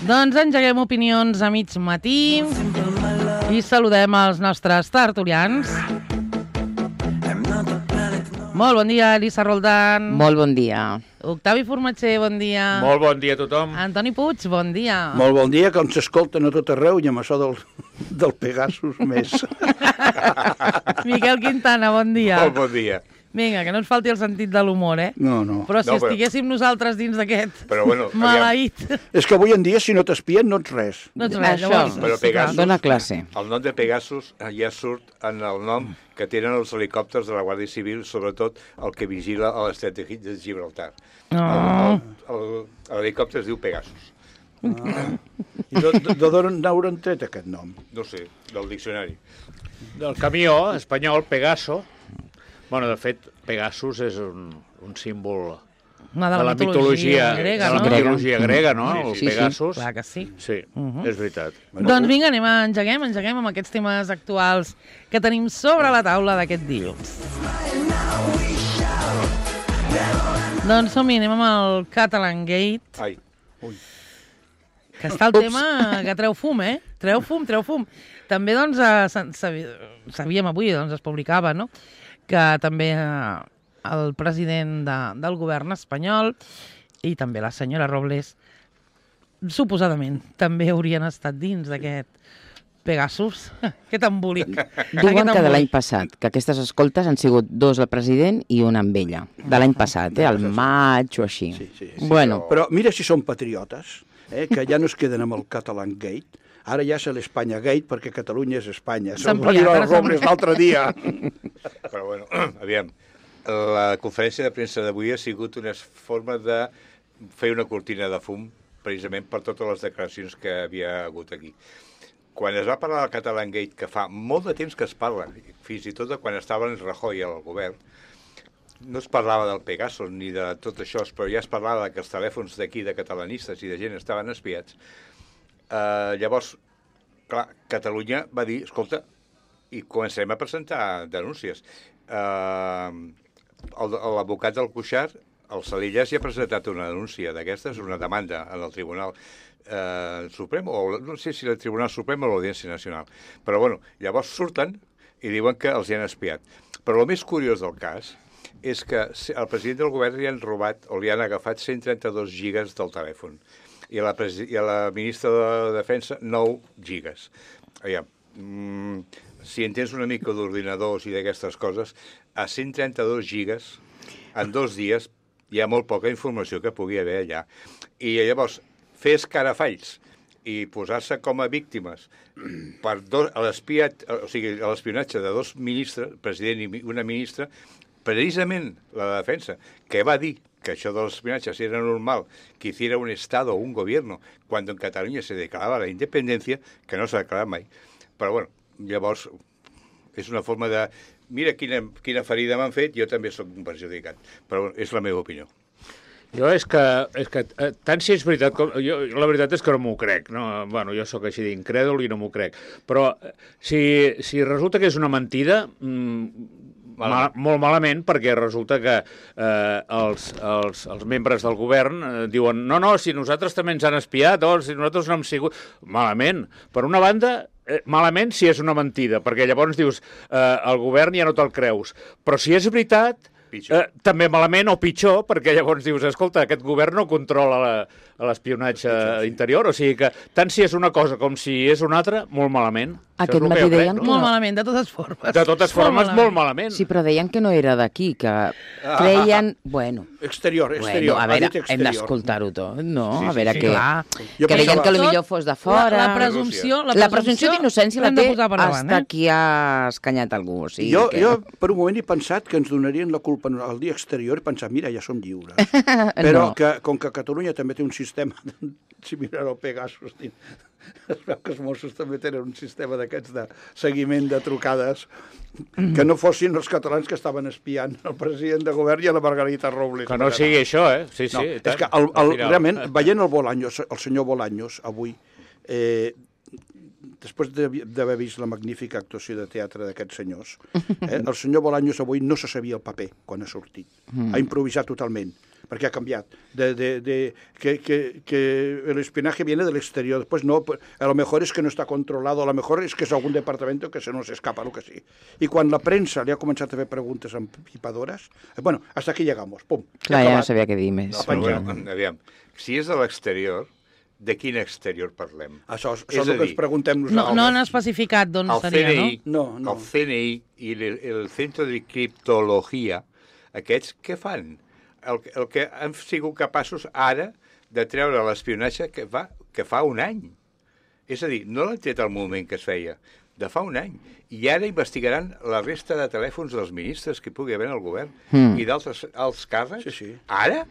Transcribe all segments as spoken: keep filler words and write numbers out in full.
Doncs engeguem opinions a mig matí i saludem els nostres tertulians. Molt bon dia, Elisa Roldán. Molt bon dia. Octavi Formatger, bon dia. Molt bon dia a tothom. Antoni Puig, bon dia. Molt bon dia, que ens escolten a tot arreu i amb això del, del Pegasus més. Miquel Quintana, bon dia. Molt bon dia. Vinga, que no ens falti el sentit de l'humor, eh? No, no. Però si No, però- estiguéssim nosaltres dins d'aquest Però bueno, aviam. maleït... És que avui en dia, si no t'espien, no ets res. No ets res, Això. llavors... Però sí que- Pegasus- Dóna classe. El nom de Pegasus ja surt en el nom que tenen els helicòpters de la Guàrdia Civil, sobretot el que vigila a l'estret de de Gibraltar. Oh. L'helicòpter es diu Pegasus. Ah. I de, de, de d'on n'hauran tret aquest nom? No sé, del diccionari. Del camió espanyol, Pegaso. Bueno, de fet, Pegasus és un, un símbol Una de la mitologia grega, de la no? mitologia grega, no? Sí, El sí, sí. Pegasus. Clar que sí. Sí, Mhm. és veritat. Doncs vinga, anem a engeguem, engeguem amb aquests temes actuals que tenim sobre la taula d'aquest dilluns. Doncs som-hi, anem amb el Catalan Gate, Ai, que està el tema que treu fum, eh? Treu fum, treu fum. També, doncs, eh, sa- sabi- sabíem avui, doncs, es publicava, no?, que també eh, el president de, del govern espanyol i també la senyora Robles, suposadament, també haurien estat dins d'aquest Pegasus. Aquest embolic. Diuen que de l'any passat, que aquestes escoltes han sigut dos al president i una amb ella. De l'any passat, eh? Al maig o així. Sí, sí, sí. Bueno, Però mira si són patriotes, eh, que ja no es queden amb el Catalan Gate. Ara ja és l'Espanya Gate, perquè Catalunya és Espanya. S'ha Se'l va dir ampliat, el ara s'ha Robles l'altre dia. però bueno, aviam. La conferència de premsa d'avui ha sigut una forma de fer una cortina de fum precisament per totes les declaracions que havia hagut aquí. Quan es va parlar del Catalan Gate, que fa molt de temps que es parla, fins i tot de quan estava en Rajoy al govern, no es parlava del Pegasus ni de tot això, però ja es parlava que els telèfons d'aquí, de catalanistes i de gent, estaven espiats. Uh, llavors, clar, Catalunya va dir, escolta, i començarem a presentar denúncies. Uh, L'advocat del Cuixart, el Salillas, ja ha presentat una denúncia d'aquestes, una demanda en el Tribunal eh, Suprem, o no sé si el Tribunal Suprem o l'Audiència Nacional. Però, bueno, llavors surten i diuen que els hi han espiat. Però el més curiós del cas és que al president del govern li han robat o li han agafat cent trenta-dos gigas del telèfon i a la, i a la ministra de Defensa nou gigas. Aviam, mm, si entens una mica d'ordinadors i d'aquestes coses, a cent trenta-dos gigas en dos dies hi ha molt poca informació que pugui haver allà. I llavors, fer escarafalls i posar-se com a víctimes per dos, a l'espiat, o sigui, a l'espionatge de dos ministres, president i una ministra, precisament la de Defensa, que va dir que això de l'espionatge era normal, que hiciera un Estado o un gobierno, cuando en Cataluña se declaraba la independencia, que no s'ha declarat mai. Però, bueno, llavors, és una forma de... Mira quina, quina ferida m'han fet, jo també sóc un perjudicat. Però és la meva opinió. Jo és que, és que eh, tant si és veritat com... Jo, la veritat és que no m'ho crec. No? Bueno, jo sóc així d'incrèdul i no m'ho crec. Però eh, si, si resulta que és una mentida, mmm, mal, molt malament, perquè resulta que eh, els, els, els membres del govern eh, diuen no, no, si nosaltres també ens han espiat, o si nosaltres no hem sigut... Malament. Per una banda... Eh, malament si és una mentida, perquè llavors dius eh, el govern ja no te'l creus. Però si és veritat, eh, també malament o pitjor, perquè llavors dius, escolta, aquest govern no controla la, l'espionatge interior, o sigui que tant si és una cosa com si és una altra, molt malament. Aquest matí deien que Molt no. malament, de totes formes. De totes formes, molt malament. Sí, però deien que no era d'aquí, que creien... Bueno, Exterior, exterior. bueno, a ha veure, dit hem exterior. d'escoltar-ho tot, no? Sí, A sí, veure sí, què... clar. Jo Que deien pensava- que potser fos de fora... La, la presumpció... La presumpció d'innocència la l'hem de té posar per davant, hasta eh? qui ha escanyat algú. O sigui Jo, que... jo, per un moment, he pensat que ens donarien la culpa al dia exterior i pensat, mira, ja som lliures. Però No. que, com que Catalunya també té un sistema, similar al Pegasus, es veu que els Mossos també tenen un sistema d'aquests de seguiment de trucades, que no fossin els catalans que estaven espiant el president de govern i a la Margarita Robles. Que no sigui això, eh? Sí, sí. No, i tant. és que el, Al el, final. realment, veient el Bolaños, el senyor Bolaños, avui, eh, després de- d'haver vist la magnífica actuació de teatre d'aquests senyors, eh, el senyor Bolaños avui no se sabia el paper quan ha sortit. Mm. Ha improvisat totalment. perquè ha canviat. De, de, de, que, que, que el espionaje viene del exterior. Pues no, a lo mejor es que no está controlado, a lo mejor es que es algún departamento que se nos escapa, lo que sí. I quan la premsa li ha començat a fer preguntes empipadores, bueno, hasta aquí llegamos, pum. Clar, ja no sabia què dir més. No, però bueno, aviam, si és de l'exterior, de quin exterior parlem? Això és, És això és a el que dir, ens preguntem No, nosaltres. no han especificat d'on El seria, C N I, no? No, no. el C N I i el, el Centre de Criptologia, aquests què fan? El, el que han sigut capaços ara de treure l'espionatge que, va, que fa un any. És a dir, no l'han tret al moment que es feia, de fa un any. I ara investigaran la resta de telèfons dels ministres que hi pugui haver en el govern Mm. i d'altres alts càrrecs. Sí, sí. Ara?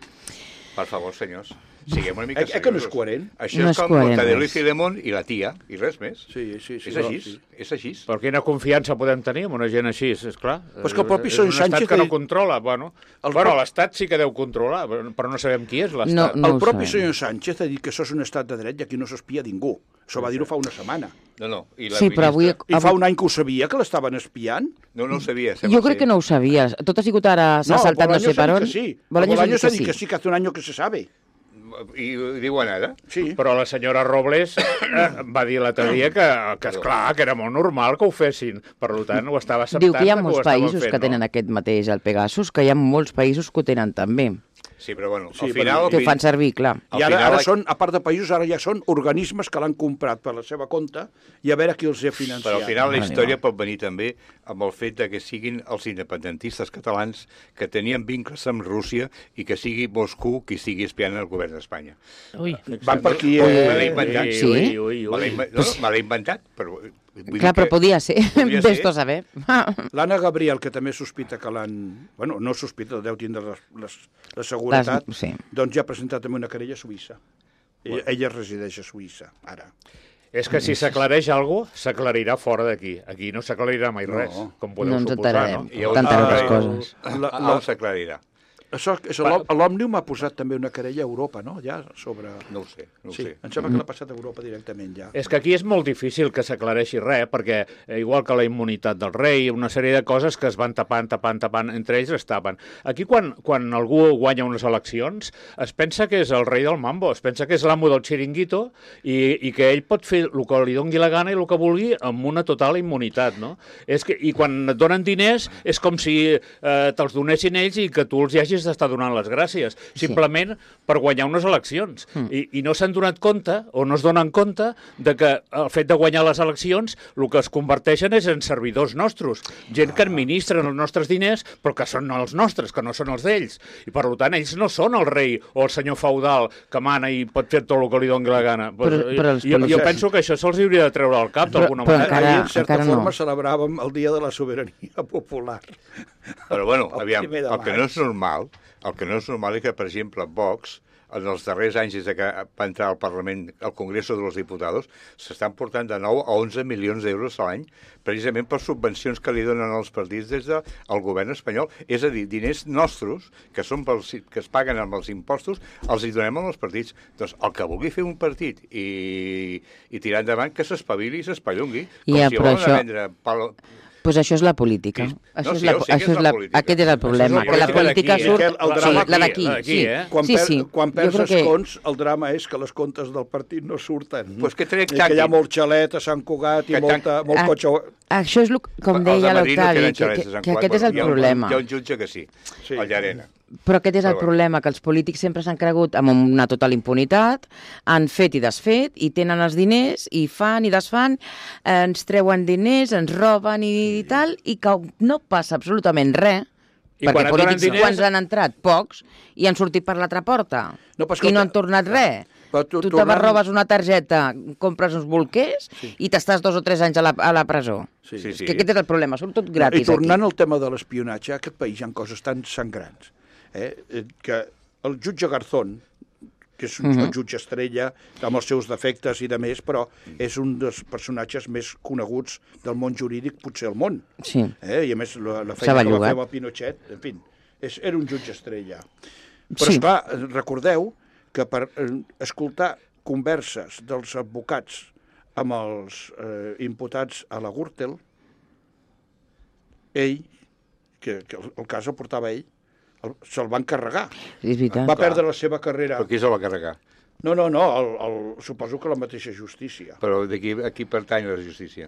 Per favor, senyors, siguem una mica Eh, eh, que no és seriosos. coherent? Això No és és com coherent, Mortadelo i res. Filemón i la tia, i res més. Sí, sí, sí. És no, així, sí. és així. Per quina confiança podem tenir amb una gent així, és clar. Però és que el propi És Son un estat Sánchez que ha no dit- controla. Bueno, El bueno pro- l'Estat sí que deu controlar, però no sabem qui és No, l'Estat. no El ho propi sabem. senyor Sánchez ha dit que això és un estat de dret i aquí no s'espia ningú. Això va dir-ho fa una setmana. No, no. I la Sí, però avui... ministra- I fa un any que ho sabia, que l'estaven espiant? No, no ho sabia. sembla Jo crec ser. que no ho sabies. Tot ha sigut ara, s'ha saltat no Bolaños sé per ha on. dit que sí. Bolaños ha Bolaños dit ha que dit que sí. sí, que hace un año que se sabe. I ho diuen ara? Sí. Però la senyora Robles eh, va dir l'altre dia que, que esclar, que era molt normal que ho fessin. Per tant, ho estava acceptant. Diu que hi ha ho molts estaven països fent, que tenen no? aquest mateix, el Pegasus, que hi ha molts països que ho tenen també, Sí, però bueno, Sí, al però- final... que ho fan servir, clar. Al I ara, final, ara són, a part de països, ara ja són organismes que l'han comprat per la seva compte i a veure qui els ha financiat. Però al final la Vale, història pot venir també amb el fet de que siguin els independentistes catalans que tenien vincles amb Rússia i que sigui Moscou qui sigui espiant el govern d'Espanya. Ui, Van per aquí... Me Eh... l'he inventat. Sí? Ui, ui, Me l'he ui. inven- no, no, me l'he inventat, però... vull Clar, dir però podia ser. Podria ser. Vés-t'ho a saber. L'Anna Gabriel, que també sospita que l'han... Bueno, no sospita, deu tindre la, la, la seguretat, Les- sí. doncs ja ha presentat també una querella a Suïssa. Ella, ella resideix a Suïssa, ara. És que si s'aclareix alguna cosa, s'aclarirà fora d'aquí. Aquí no s'aclarirà mai No. res, com podeu No ens suposar, enterarem. no? I on- Tantes Ah, altres eh, coses. La, A- la, on s'aclarirà? això, això l'Òm- l'Òmnium ha posat també una querella a Europa, no? Ja sobre... No ho sé, no ho Sí, sé. em sembla que l'ha passat a Europa directament ja. És que aquí és molt difícil que s'aclareixi res, perquè eh, igual que la immunitat del rei, una sèrie de coses que es van tapant, tapant, tapant, entre ells es tapen. Aquí quan, quan algú guanya unes eleccions, es pensa que és el rei del mambo, es pensa que és l'amo del xiringuito i, i que ell pot fer el que li dongui la gana i el que vulgui amb una total immunitat, no? És que, I quan et donen diners és com si eh, te'ls donessin ells i que tu els hi hagis d'estar donant les gràcies, simplement per guanyar unes eleccions. Mm. I, I no s'han donat compte, o no es donen compte, de que el fet de guanyar les eleccions el que es converteixen és en servidors nostres, gent que administren els nostres diners, però que són els nostres, que no són els d'ells. I per tant, ells no són el rei o el senyor feudal que mana i pot fer tot el que li doni la gana. Però- Pues, però els jo, jo policies- penso que això se'ls hauria de treure al cap Però- d'alguna però manera. encara- Ahir, en certa encara no. forma, celebràvem el Dia de la Sobirania Popular. Però bueno, El aviam, primer de el que maig. no és normal, el que no és normal és que, per exemple, Vox, en els darrers anys des de que va entrar al Parlament, al Congreso de los Diputados, s'estan portant de nou a onze milions d'euros a l'any, precisament per subvencions que li donen als partits des del govern espanyol. És a dir, diners nostres, que són pels, que es paguen amb els impostos, els hi donem als partits. Doncs el que vulgui fer un partit i, i tirar endavant, que s'espavili i s'espallongui. Com Ja, si però volen això- vendre pal... Pues això és la política. Sí. Això No, és sí, la, ja ho sé que això és és la la, política. aquest és el problema, Això és la que la política política d'aquí, surt... eh? El sí, drama la d'aquí, aquí, sí. eh? Quan, sí, per, sí. quan Jo perds crec que... escons, el drama és que les comptes del partit no surten. Pues que trec I que hi ha tàctic. molt xalet a Sant Cugat i Que molta, molt Ah, cotxe... Això és, lo, com Els deia de Madrid no l'Octavi, tenen que, xalets que, de Sant que Cugat. aquest és el Hi ha un- problema. Hi ha un jutge que sí, Sí. el Llarena. Però aquest és el Però bueno. problema, que els polítics sempre s'han cregut amb una total impunitat, han fet i desfet, i tenen els diners, i fan i desfan, eh, ens treuen diners, ens roben i, i tal, i que no passa absolutament res, I perquè quan et donen polítics diners- quants han entrat? Pocs, i han sortit per l'altra porta. No, però I no escolta, han tornat res. però Tu, tu- tu te tornant- robes una targeta, compres uns bolquers Sí. i t'estàs dos o tres anys a la, a la presó. Sí. Sí, És sí. que aquest és el problema, surt tot I gratis tornant aquí. al tema de l'espionatge, a aquest país hi ha coses tan sangrants. Eh? eh, Que el jutge Garzón, que és un Mhm. jutge estrella, amb els seus defectes i de més, però és un dels personatges més coneguts del món jurídic, potser al món. Sí. Eh? I a més, la, la S'ha feina que va bellugat. fer amb el Pinochet, en fi, és, era un jutge estrella. Però, Sí. esclar, recordeu que per eh, escoltar converses dels advocats amb els eh, imputats a la Gürtel, ell, que, que el, el cas el portava ell, se'l van carregar. És veritat. Va perdre la seva carrera. Però qui se'l va carregar? No, no, no, el, el, suposo que la mateixa justícia. Però d'aquí a qui pertany la justícia?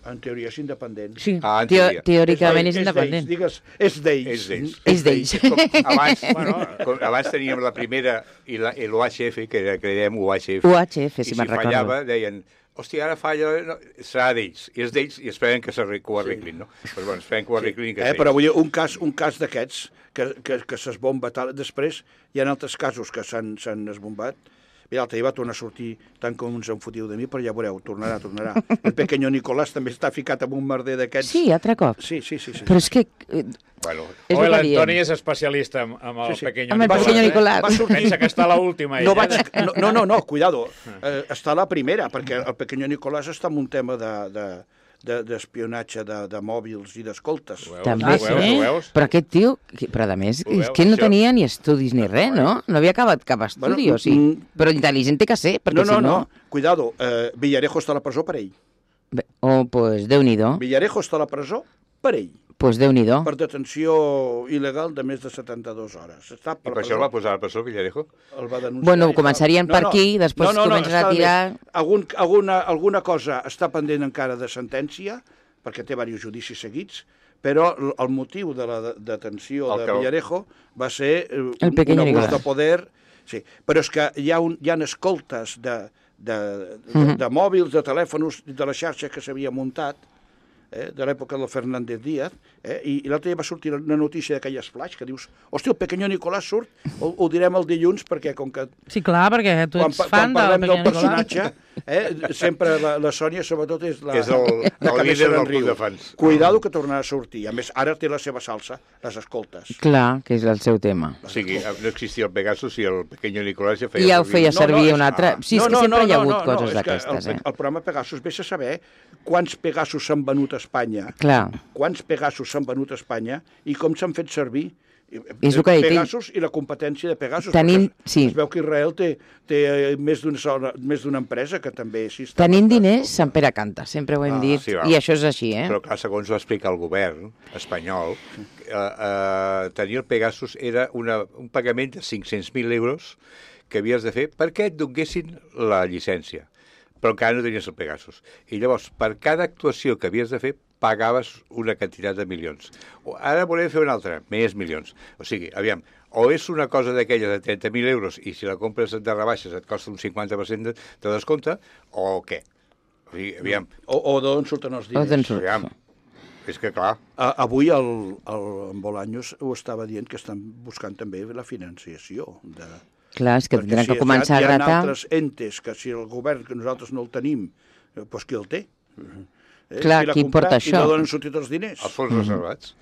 En teoria és independent. Sí, Ah, en teo teoria. teòricament és d'ells, independent. Digues, és d'ells. És d'ells. És d'ells. Com abans, bueno, com abans teníem la primera i l'U H F, que era, que dèiem U H F. U H F, si I me'n si recordo. fallava, deien, hòstia, ara falla, no, serà d'ells. És d'ells i esperem que, que ho arreglin, no? Però bueno, esperem que ho arreglin. Que Eh, però vull dir, un cas, un cas d'aquests que, que, que s'esbomba tal, després hi ha altres casos que s'han esbombat. Mira, l'altre dia va tornar a sortir tant com uns en fotiu de mi, però ja veureu, tornarà, tornarà. El pequeño Nicolás també està ficat en un merder d'aquests. Sí, altre cop. Sí, sí, sí. sí. Però és que... eh, Bueno, És Oi, el que l'Antoni diem. és especialista amb, amb el Sí, sí. pequeño Amb el Nicolás. pequeño eh? Nicolás. Va sortir... Pensa que està a l'última. No, ell, vaig... eh? no, no, no, no, cuidado. Eh, està a la primera, perquè el pequeño Nicolás està en un tema de... de d'espionatge de, de mòbils i d'escoltes. Ho veus? També, Ho veus? sí. Ho veus? Però aquest tio, que- però a més, Ho és veus, que ell no això? tenia ni estudis ni res, no? No havia acabat cap estudi, Bueno, o sí? mm, Però intel·ligent té que ser, perquè No, no, si no... no, cuidado, eh, Villarejo està a la presó per ell. Bé, oh, pues Déu-n'hi-do, Villarejo està a la presó per ell, pues Déu-n'hi-do. per detenció il·legal de més de setanta-dues hores. Està i per això el va posar al presó, Villarejo? el va denunciar. Bueno, i començarien no, per no, aquí, després comences a està tirar- bé. Algun, alguna, alguna cosa està pendent encara de sentència, perquè té diversos judicis seguits, però l- el motiu de la de- detenció El de que- Villarejo va ser eh, un, El pequeño un abús Nicolás. de poder. Sí. Però és que hi ha, un, hi ha escoltes de, de, de, Mhm. de mòbils, de telèfons, de la xarxa que s'havia muntat, eh, de l'època del Fernández Díaz, eh, i, i l'altre dia va sortir una notícia d'aquelles flash que dius, hòstia, el pequeño Nicolás surt, ho, ho direm el dilluns, perquè com que Sí, clar, perquè tu quan, ets pa- fan quan parlem del del Pequeño Nicolás. personatge, eh, sempre la, la Sònia, sobretot, és la, És el- la el que més líder se del n'enriu. club de fans. Cuidado que tornarà a sortir. A més, ara té la seva salsa, les escoltes. Clar, que és el seu tema. O sigui, no existia el Pegasus i el pequeño Nicolás ja feia... I ja ho servir. feia servir és- un altre... Sí, és que sempre hi ha hagut coses és que d'aquestes, el, eh? el programa Pegasus, vés a saber quants Pegasus s'han venut a Espanya, Clar, quants Pegasus s'han venut a Espanya i com s'han fet servir. És el que he dit. Pegasus i la competència de Pegasus. Tenim- perquè sí. Es veu que Israel té, té eh, més d'una sola- més d'una empresa que també... Sí, està tenint bastant- diners, Sant Pere canta, sempre ho hem Ah, dit, sí, va. i això és així, eh? Però clar, segons va explicar el govern espanyol, eh, eh, tenir el Pegasus era una, un pagament de cinc-cents mil euros que havies de fer perquè et donguessin la llicència. Però encara no tenies el Pegasus. I llavors, per cada actuació que havies de fer, pagaves una quantitat de milions. O ara volem fer una altra, més milions. O sigui, aviam, o és una cosa d'aquella de trenta mil euros i si la compres de rebaixes et costa un cinquanta per cent de, de descompte, o què? O sigui, aviam, O, o d'on surten els O d'on diners. surt. aviam, és que clar, A, avui el, el, en Bolaños ho estava dient que estan buscant també la financiació. De, Clar, és que perquè tindran si que començar hi a ha, hi ha gratar... altres entes que si el govern, que nosaltres no el tenim, eh, doncs qui el té? Eh, Clar, l'ha qui comprat porta I això? no donen sortit els diners. els fons reservats.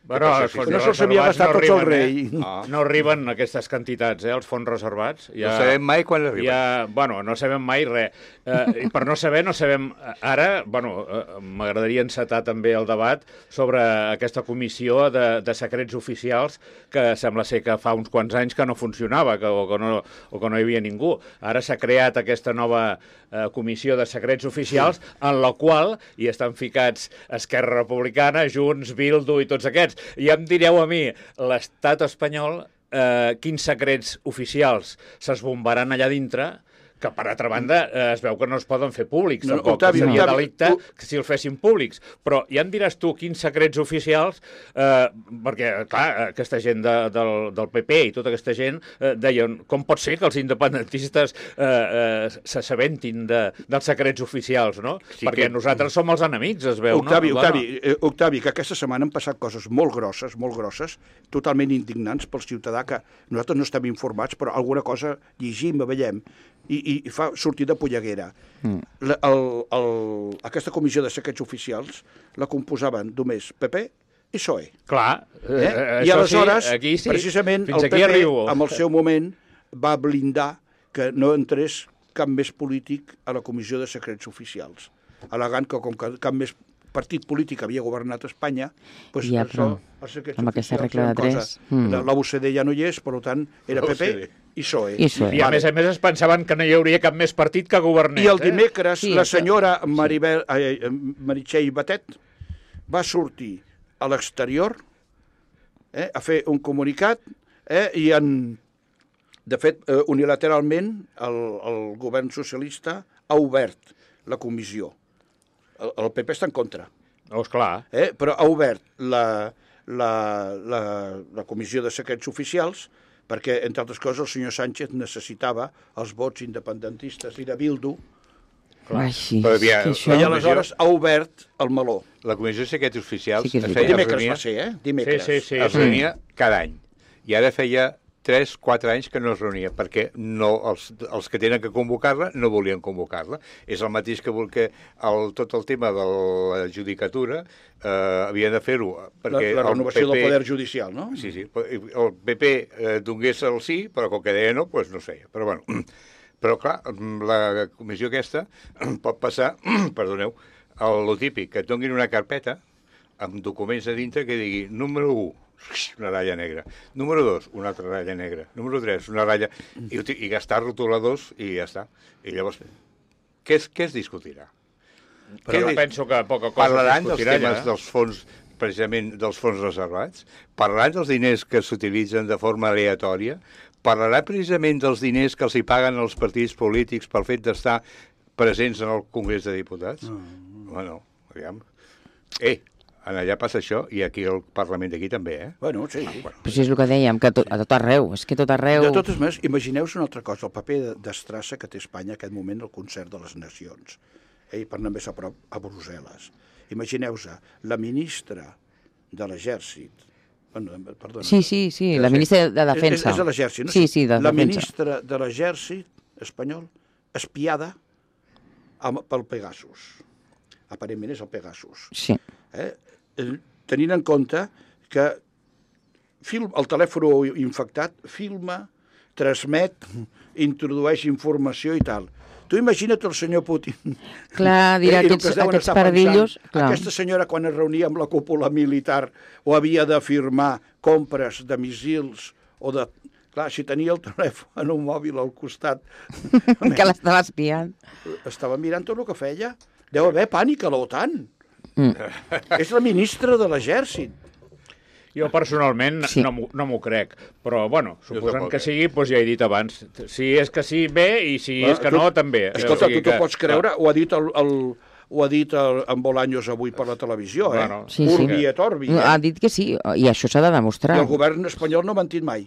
Bueno, passa, els sí, fons sí. No se'ls havia reservats gastat tots el arriben, rei. Eh? Ah. No arriben aquestes quantitats, eh, els fons reservats. No sabem mai quan arriben. Ja, bueno, no sabem mai res. Eh, I per no saber, no sabem... Ara, bueno, eh, m'agradaria encetar també el debat sobre aquesta comissió de, de secrets oficials que sembla ser que fa uns quants anys que no funcionava que, o, que no, o que no hi havia ningú. Ara s'ha creat aquesta nova eh, comissió de secrets oficials en la qual hi estan ficats Esquerra Republicana, Junts, Bildu i tots aquests. I em direu a mi, l'estat espanyol, eh, quins secrets oficials s'esbombaran allà dintre, que per altra banda eh, es veu que no es poden fer públics, No, tampoc, Octavi, seria Octavi, delicte tu- que si els fessin públics. Però ja em diràs tu quins secrets oficials, eh, perquè, clar, aquesta gent de, del, del P P i tota aquesta gent eh, deien com pot ser que els independentistes eh, eh, s'assabentin de, dels secrets oficials, no? Sí perquè que- nosaltres som els enemics, es veu, Octavi, no? Octavi, eh, Octavi, que aquesta setmana han passat coses molt grosses, molt grosses, totalment indignants pel ciutadà, que nosaltres no estem informats, però alguna cosa llegim, veiem, i, i, i fa sortir de polleguera. Mm. La, el, el, aquesta comissió de secrets oficials la composaven només P P i P S O E. Clar, Eh? eh, I això aleshores, sí, aquí sí. precisament, Fins el aquí P P, arribo. en el seu moment, va blindar que no entrés cap més polític a la comissió de secrets oficials, al·legant que com que cap més partit polític havia governat Espanya, doncs Ja, això, però els secrets amb aquesta oficials regla eren de tres, cosa. mm. La, la U C D ja no hi és, per tant, era P P La U C D. i P S O E. I P S O E. I a més a més es pensaven que no hi hauria cap més partit que governés. I el eh? dimecres Sí, la això- senyora Maribel, eh, Meritxell Batet va sortir a l'exterior eh, a fer un comunicat eh, i han, de fet, eh, unilateralment el, el govern socialista ha obert la comissió. El, el P P està en contra. Oh, esclar. Eh, però ha obert la, la, la, la comissió de secrets oficials perquè, entre altres coses, el senyor Sánchez necessitava els vots independentistes i de Bildu. Ai, sí, Però havia- que això... I aleshores ha obert el meló. La Comissió de Secrets Oficials Sí que és es veritat. feia, es Dimecres reunia, va ser, eh? Dimecres. Sí, sí, sí. es reunia cada any. I ara feia tres quatre anys que no es reunia, perquè no, els, els que tenen que convocar-la no volien convocar-la. És el mateix que vol que el, tot el tema de la judicatura eh, havia de fer-ho. La, perquè la renovació el P P, del poder judicial, no? Sí, sí. El P P eh, donés el sí, però com que deia no, doncs no es feia. Però bueno, però clar, la comissió aquesta pot passar, perdoneu, el típic, que et donin una carpeta amb documents a dintre que digui número u, una ratlla negra. Número dos, una altra ratlla negra. Número tres, una ratlla... I, i gastar rotuladors i ja està. I llavors, què es, què es discutirà? Però Què- penso que poca cosa Parlaran dels discutirà temes ja. dels fons, precisament dels fons reservats? Parlaran dels diners que s'utilitzen de forma aleatòria? Parlaran precisament dels diners que els hi paguen els partits polítics pel fet d'estar presents en el Congrés de Diputats? Mm. Bueno, aviam. Eh, en allà passa això i aquí al Parlament d'aquí també, eh? Bueno, sí. Però si és el que dèiem, que a tot, a tot arreu, és que a tot arreu... De totes maneres, imagineu-vos una altra cosa, el paper d'estrassa que té Espanya en aquest moment al concert de les nacions, eh, per anar més a prop a Brussel·les. Imagineu-vos la ministra de l'Exèrcit, bueno, perdona. Sí, sí, sí, la ministra de Defensa. És, és de l'Exèrcit, no? Sí, sí, de la Defensa. ministra de l'Exèrcit espanyol espiada amb, pel Pegasus. Aparentment és el Pegasus. Sí. Eh? Tenint en compte que film, el telèfon infectat filma, transmet, introdueix informació i tal. Tu imagina't el senyor Putin. Clar, dirà, I el que aquests, es deuen aquests estar pardillos... pensant, Clar. aquesta senyora, quan es reunia amb la cúpula militar o havia de firmar compres de missils o de... Clar, si tenia el telèfon en un mòbil al costat, que l'estava espiant. estava mirant tot el que feia. Deu haver pànic a l'OTAN. Mm. És la ministra de l'Exèrcit. Jo personalment Sí. no, m'ho- no m'ho crec, però bueno, suposant tampoc, que eh? sigui, doncs ja he dit abans, si és que sí, bé, i si és que Tu- no, també. Escolta, O sigui tu t'ho que- pots creure? Ho ha dit el, el, ho ha dit el, en Bolaños avui per la televisió, eh? Bueno, Sí, sí. Urbi et Orbi, Ha eh? dit que sí, i això s'ha de demostrar. I el govern espanyol no ha mentit mai.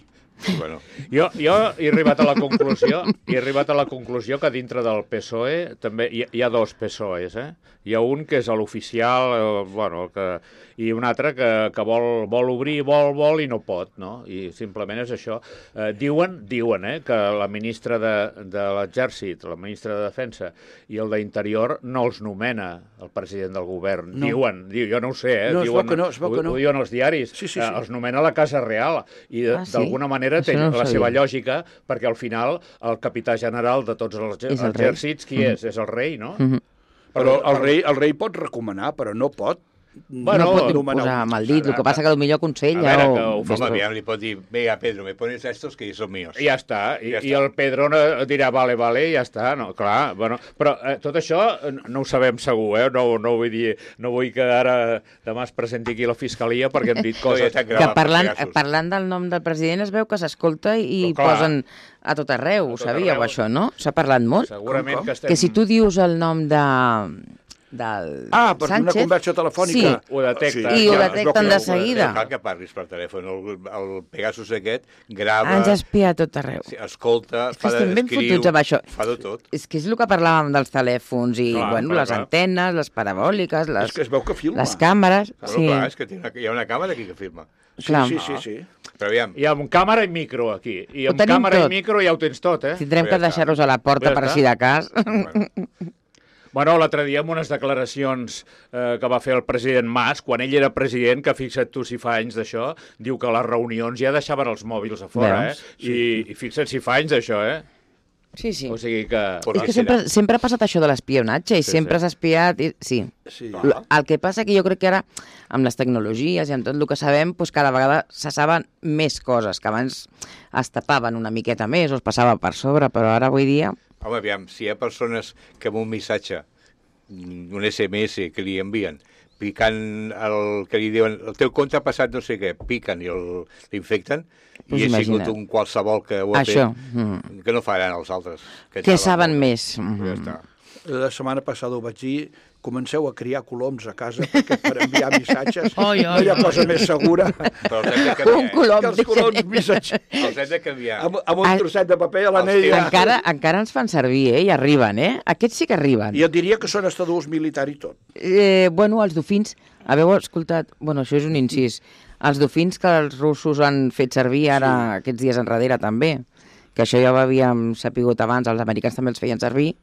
Bueno, Jo, jo he arribat a la conclusió he arribat a la conclusió que dintre del P S O E també hi, hi ha dos P S O Es, eh? Hi ha un que és l'oficial, eh, bueno, el que, i un altre que, que vol, vol obrir, vol, vol i no pot, no? I simplement és això. Eh, diuen, diuen, eh, que la ministra de, de l'Exèrcit, la ministra de Defensa i el d'Interior no els nomena el president del govern. No. Diuen, diu, jo no ho sé, eh? No, es diuen, veu que no, es veu ho, que no. ho diuen els diaris. Sí, sí, Eh, sí. els nomena la Casa Real i de- Ah, sí? d'alguna manera té Això no ho la sabia. seva lògica, perquè al final el capità general de tots els És el rei. exèrcits, qui és? És el rei, no? Mhm. Però el rei, el rei pot recomanar, però no pot Bueno, no pot nomenar posar un- amb el dit, el que passa que potser A aconsella veure, o... que ho home, fes aviam, li pot dir, venga, Pedro, me pones estos que son míos. I ja està. I, Ja I està. el Pedro no dirà vale, vale, i ja està. No, clar, bueno, però eh, tot això eh, no ho sabem segur, eh? No, no vull dir, no vull que ara demà es presenti aquí la fiscalia perquè hem dit coses... ja t'ha Que gravat, parlant, Pegasus. parlant del nom del president es veu que s'escolta i Però clar. posen a tot arreu, A ho tot sabíeu arreu. això, no? S'ha parlat molt. Segurament Com, com? que estem... Que si tu dius el nom de del Ah, per Sánchez, una conversa telefònica. Sí, Ho detecta. I ho clar, detecten de seguida. No cal que parlis per telèfon. El, el Pegasus aquest grava, ens espia a tot arreu. sí, escolta, És que fa de, estem ben escriu, fotuts amb això. fa de tot. És que és el que parlàvem dels telèfons i, Clar, bueno, clar, les clar. antenes, les parabòliques, És les, que es veu que filma. les càmeres... Bueno, Sí, clar, és que té una, hi ha una càmera aquí que filma. Sí, clar. sí, sí, sí. Però aviam, I amb càmera i micro aquí. I Ho amb tenim càmera tot. i micro ja ho tens tot, eh? tindrem Ja que està. deixar-los a la porta Ja per està. si de cas. bueno, Bueno, l'altre dia amb unes declaracions eh, que va fer el president Mas, quan ell era president, que fixa't tu si fa anys d'això, diu que a les reunions ja deixaven els mòbils a fora, Veus? eh? I, I fixa't si fa anys d'això, eh? Sí, sí. O sigui que... Por És que la sempre, serà. sempre ha passat això de l'espionatge i Sí, sempre sí. s'ha espiat. I... Sí. Sí. L- El que passa que jo crec que ara, amb les tecnologies i amb tot el que sabem, doncs cada vegada se saben més coses, que abans es tapaven una miqueta més o es passava per sobre, però ara avui dia... home, aviam, si hi ha persones que amb un missatge, un S M S que li envien, picant el que li diuen, el teu compte ha passat no sé què, piquen i el- l'infecten, Pues i ha imagina't. sigut un qualsevol que ho ha Això, fet, que no faran els altres. Què saben molt més? Ja Mhm. està. La setmana passada ho vaig dir, comenceu a criar coloms a casa perquè per enviar missatges Oi, no oi, hi ha oi. cosa més segura Però els hem de Un canviar. eh? colom. que els coloms missatgers. Els hem de canviar. Amb, amb un Ah, trosset de paper a els l'anella. Encara, encara ens fan servir, eh? I arriben, eh? Aquests sí que arriben. I et diria que són hasta d'ús militar i tot. Eh, bueno, els dofins, haveu escoltat... Bueno, això és un incís. Els dofins que els russos han fet servir ara, aquests dies enrere, també, que això ja ho havíem sapigut abans, els americans també els feien servir.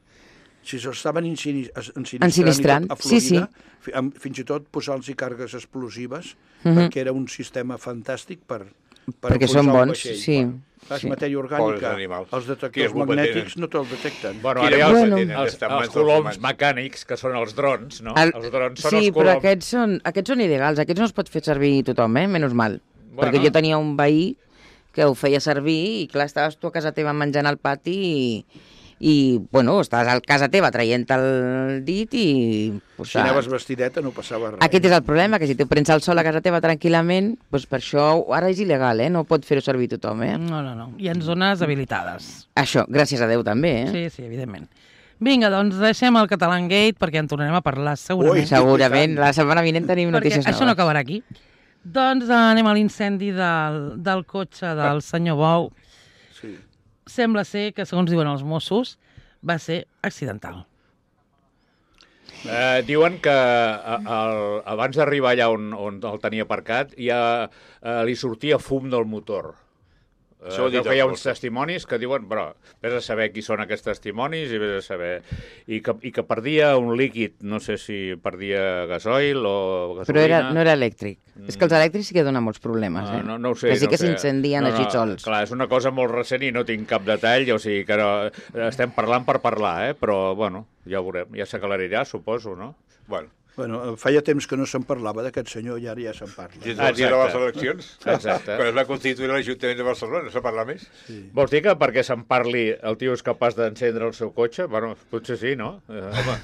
Si s'estaven ensini- ensinistrant, Ensinistrant, i tot a sí, sí. Florida, fi- amb- fins i tot posant-los càrregues explosives, Mhm. perquè era un sistema fantàstic per, per Perquè enfonsar són un bons, vaixell. sí. És sí. matèria Pobres orgànica. animals. Els Quines detectors culpa magnètics tenen? no te'ls detecten. Bueno, Quina ara hi ha culpa els, tenen els, d'estar en els mans dels coloms humans? mecànics, que són els drons, no? El- Els drons són sí, els però coloms. aquests són, aquests són il·legals, aquests no es pot fer servir tothom, eh? Menys mal. Bueno. Perquè jo tenia un veí que ho feia servir i, clar, estaves tu a casa teva menjant al pati i, i bueno, estaves a casa teva traient el dit i... Pues, Si anaves vestideta no passava res. Aquest és el problema, que si tu prens el sol a casa teva tranquil·lament, doncs per això ara és il·legal, eh? No pot fer-ho servir tothom, eh? No, no, no. I en zones habilitades. Això, gràcies a Déu també, eh? Sí, sí, evidentment. Vinga, doncs deixem el Catalan Gate perquè en tornarem a parlar segurament. Ui, Segurament, la setmana vinent tenim perquè notícies això no noves. acabarà aquí. Doncs eh, anem a l'incendi del, del cotxe del senyor Bou. Sí. Sembla ser que, segons diuen els Mossos, va ser accidental. Eh, diuen que a, el, abans d'arribar allà on, on el tenia aparcat ja eh, li sortia fum del motor. Eh, Això ho ha dit Creu que hi ha els uns Mossos. testimonis que diuen, però vés a saber qui són aquests testimonis i vés a saber... I que, i que perdia un líquid, no sé si perdia gasoil o gasolina. Però era, no era elèctric. És que els elèctrics sí que donen molts problemes, Ah, eh? no, no ho sé. que sí no que ho sé. s'incendien no, així no, sols. Clar, és una cosa molt recent i no tinc cap detall, o sigui que no, estem parlant per parlar, eh? Però, bueno, ja ho veurem, ja s'aclarirà, suposo, no? Bueno, Bueno, feia temps que no se'n parlava d'aquest senyor i ara ja se'n parla. des Ah, del dia de les exacte. eleccions, Exacte. quan es va constituir l'Ajuntament de Barcelona, no se parla més? Vols dir que perquè se'n parli el tio és capaç d'encendre el seu cotxe? Bueno, potser sí, no? Eh, home,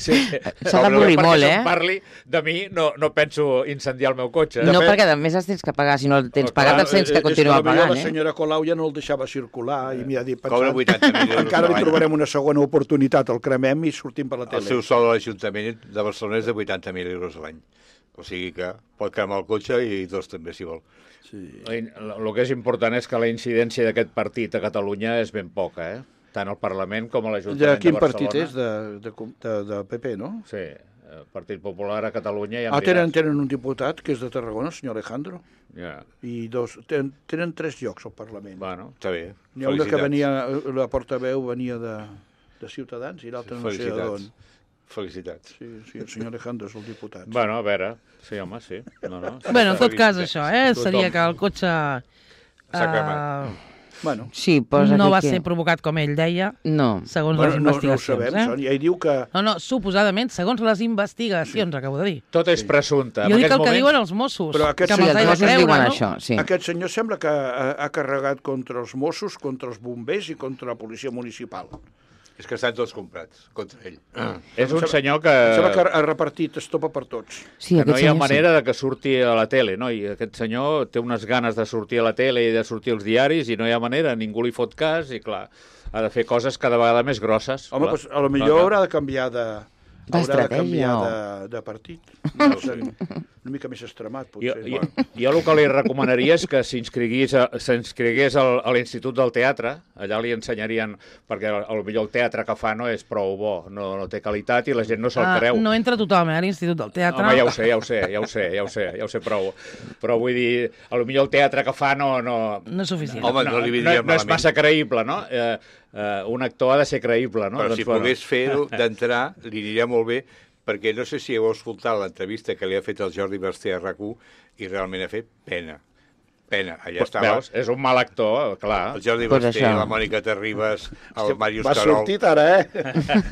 sí. S'ha d'avorrir molt, Perquè eh? se'n parli de mi, no, no penso incendiar el meu cotxe. No, Depèn- perquè a més els tens que pagar. Si no el tens Oh, clar, pagat, els tens que És que continuar potser pagant, la eh? senyora Colau ja no el deixava circular i m'hi ha dit Cobra pensant, vuitanta mil euros encara a li l'any. trobarem una segona oportunitat, el cremem i sortim per la El tele. seu sou de l'Ajuntament de Barcelona és de vuitanta mil euros a l'any. O sigui que pot cremar el cotxe i dos també, si vol. El que és important és que la incidència d'aquest partit a Catalunya és ben poca, eh? Tant al Parlament com a De l'Ajuntament de, quin Barcelona. partit és? De, de, de, de P P, no? Sí, el Partit Popular a Catalunya ja em Ah, tenen, diràs. tenen un diputat que és de Tarragona, el senyor Alejandro, Ja, i dos, tenen, tenen tres llocs al Parlament. bueno. Està bé. N'hi ha una que Felicitats. venia, la portaveu venia de, de Ciutadans i l'altra no sé Felicitats. d'on. Felicitats. Sí, sí, el senyor Alejandro és el diputat. Bueno, a veure, sí, home, sí. No, no. Bueno, en tot cas, Felicitats. això, eh? Tothom. Seria que el cotxe S'ha eh, cremat. Bueno, Sí, posa no aquí va que... ser provocat com ell deia, No. segons bueno les no, no ho investigacions. sabem, son. eh? I ell diu que... No, no, suposadament, segons les investigacions, acabo de dir. Tot és presumpte. Jo En dic aquests el que moments- diuen els Mossos, Però aquest que Sí, me'ls els he de Mossos creure, diuen no? això, sí. Aquest senyor sembla que ha, ha carregat contra els Mossos, contra els bombers i contra la policia municipal. És que estan tots comprats contra ell. És un senyor que... Em sembla que ha repartit estopa per tots. Sí, que no aquest hi ha senyor, manera de que surti a la tele, no? I aquest senyor té unes ganes de sortir a la tele i de sortir als diaris i no hi ha manera, ningú li fot cas i, clar, ha de fer coses cada vegada més grosses. Home, clar. doncs, a lo millor haurà de canviar de... Haurà de D'estratègia, canviar o- de, de partit. No sé, una mica més extremat, Jo, potser. jo, jo el que li recomanaria és que s'inscrigués a, s'inscrigués al, a l'Institut del Teatre, allà li ensenyarien, perquè potser el teatre que fa no és prou bo, no, no té qualitat i la gent no se'l Ah, creu. no entra tothom, eh, a l'Institut del Teatre. Home, ja ho sé, ja ho sé, ja ho sé, ja ho sé, ja ho sé prou. Però vull dir, potser el teatre que fa no... No, No és suficient. Home, no li vindria no, no és malament. massa creïble, no? Eh, eh, un actor ha de ser creïble, no? Però Doncs, si bueno. pogués fer-ho d'entrar, li aniria molt bé, perquè no sé si heu escoltat l'entrevista que li ha fet el Jordi Basté a RAC u i realment ha fet pena. Pena. Allà Pues, estava veus, és un mal actor, clar. el Jordi Pues Basté, això. la Mònica Terribas, el Màrius Va Carol. sortit ara, eh?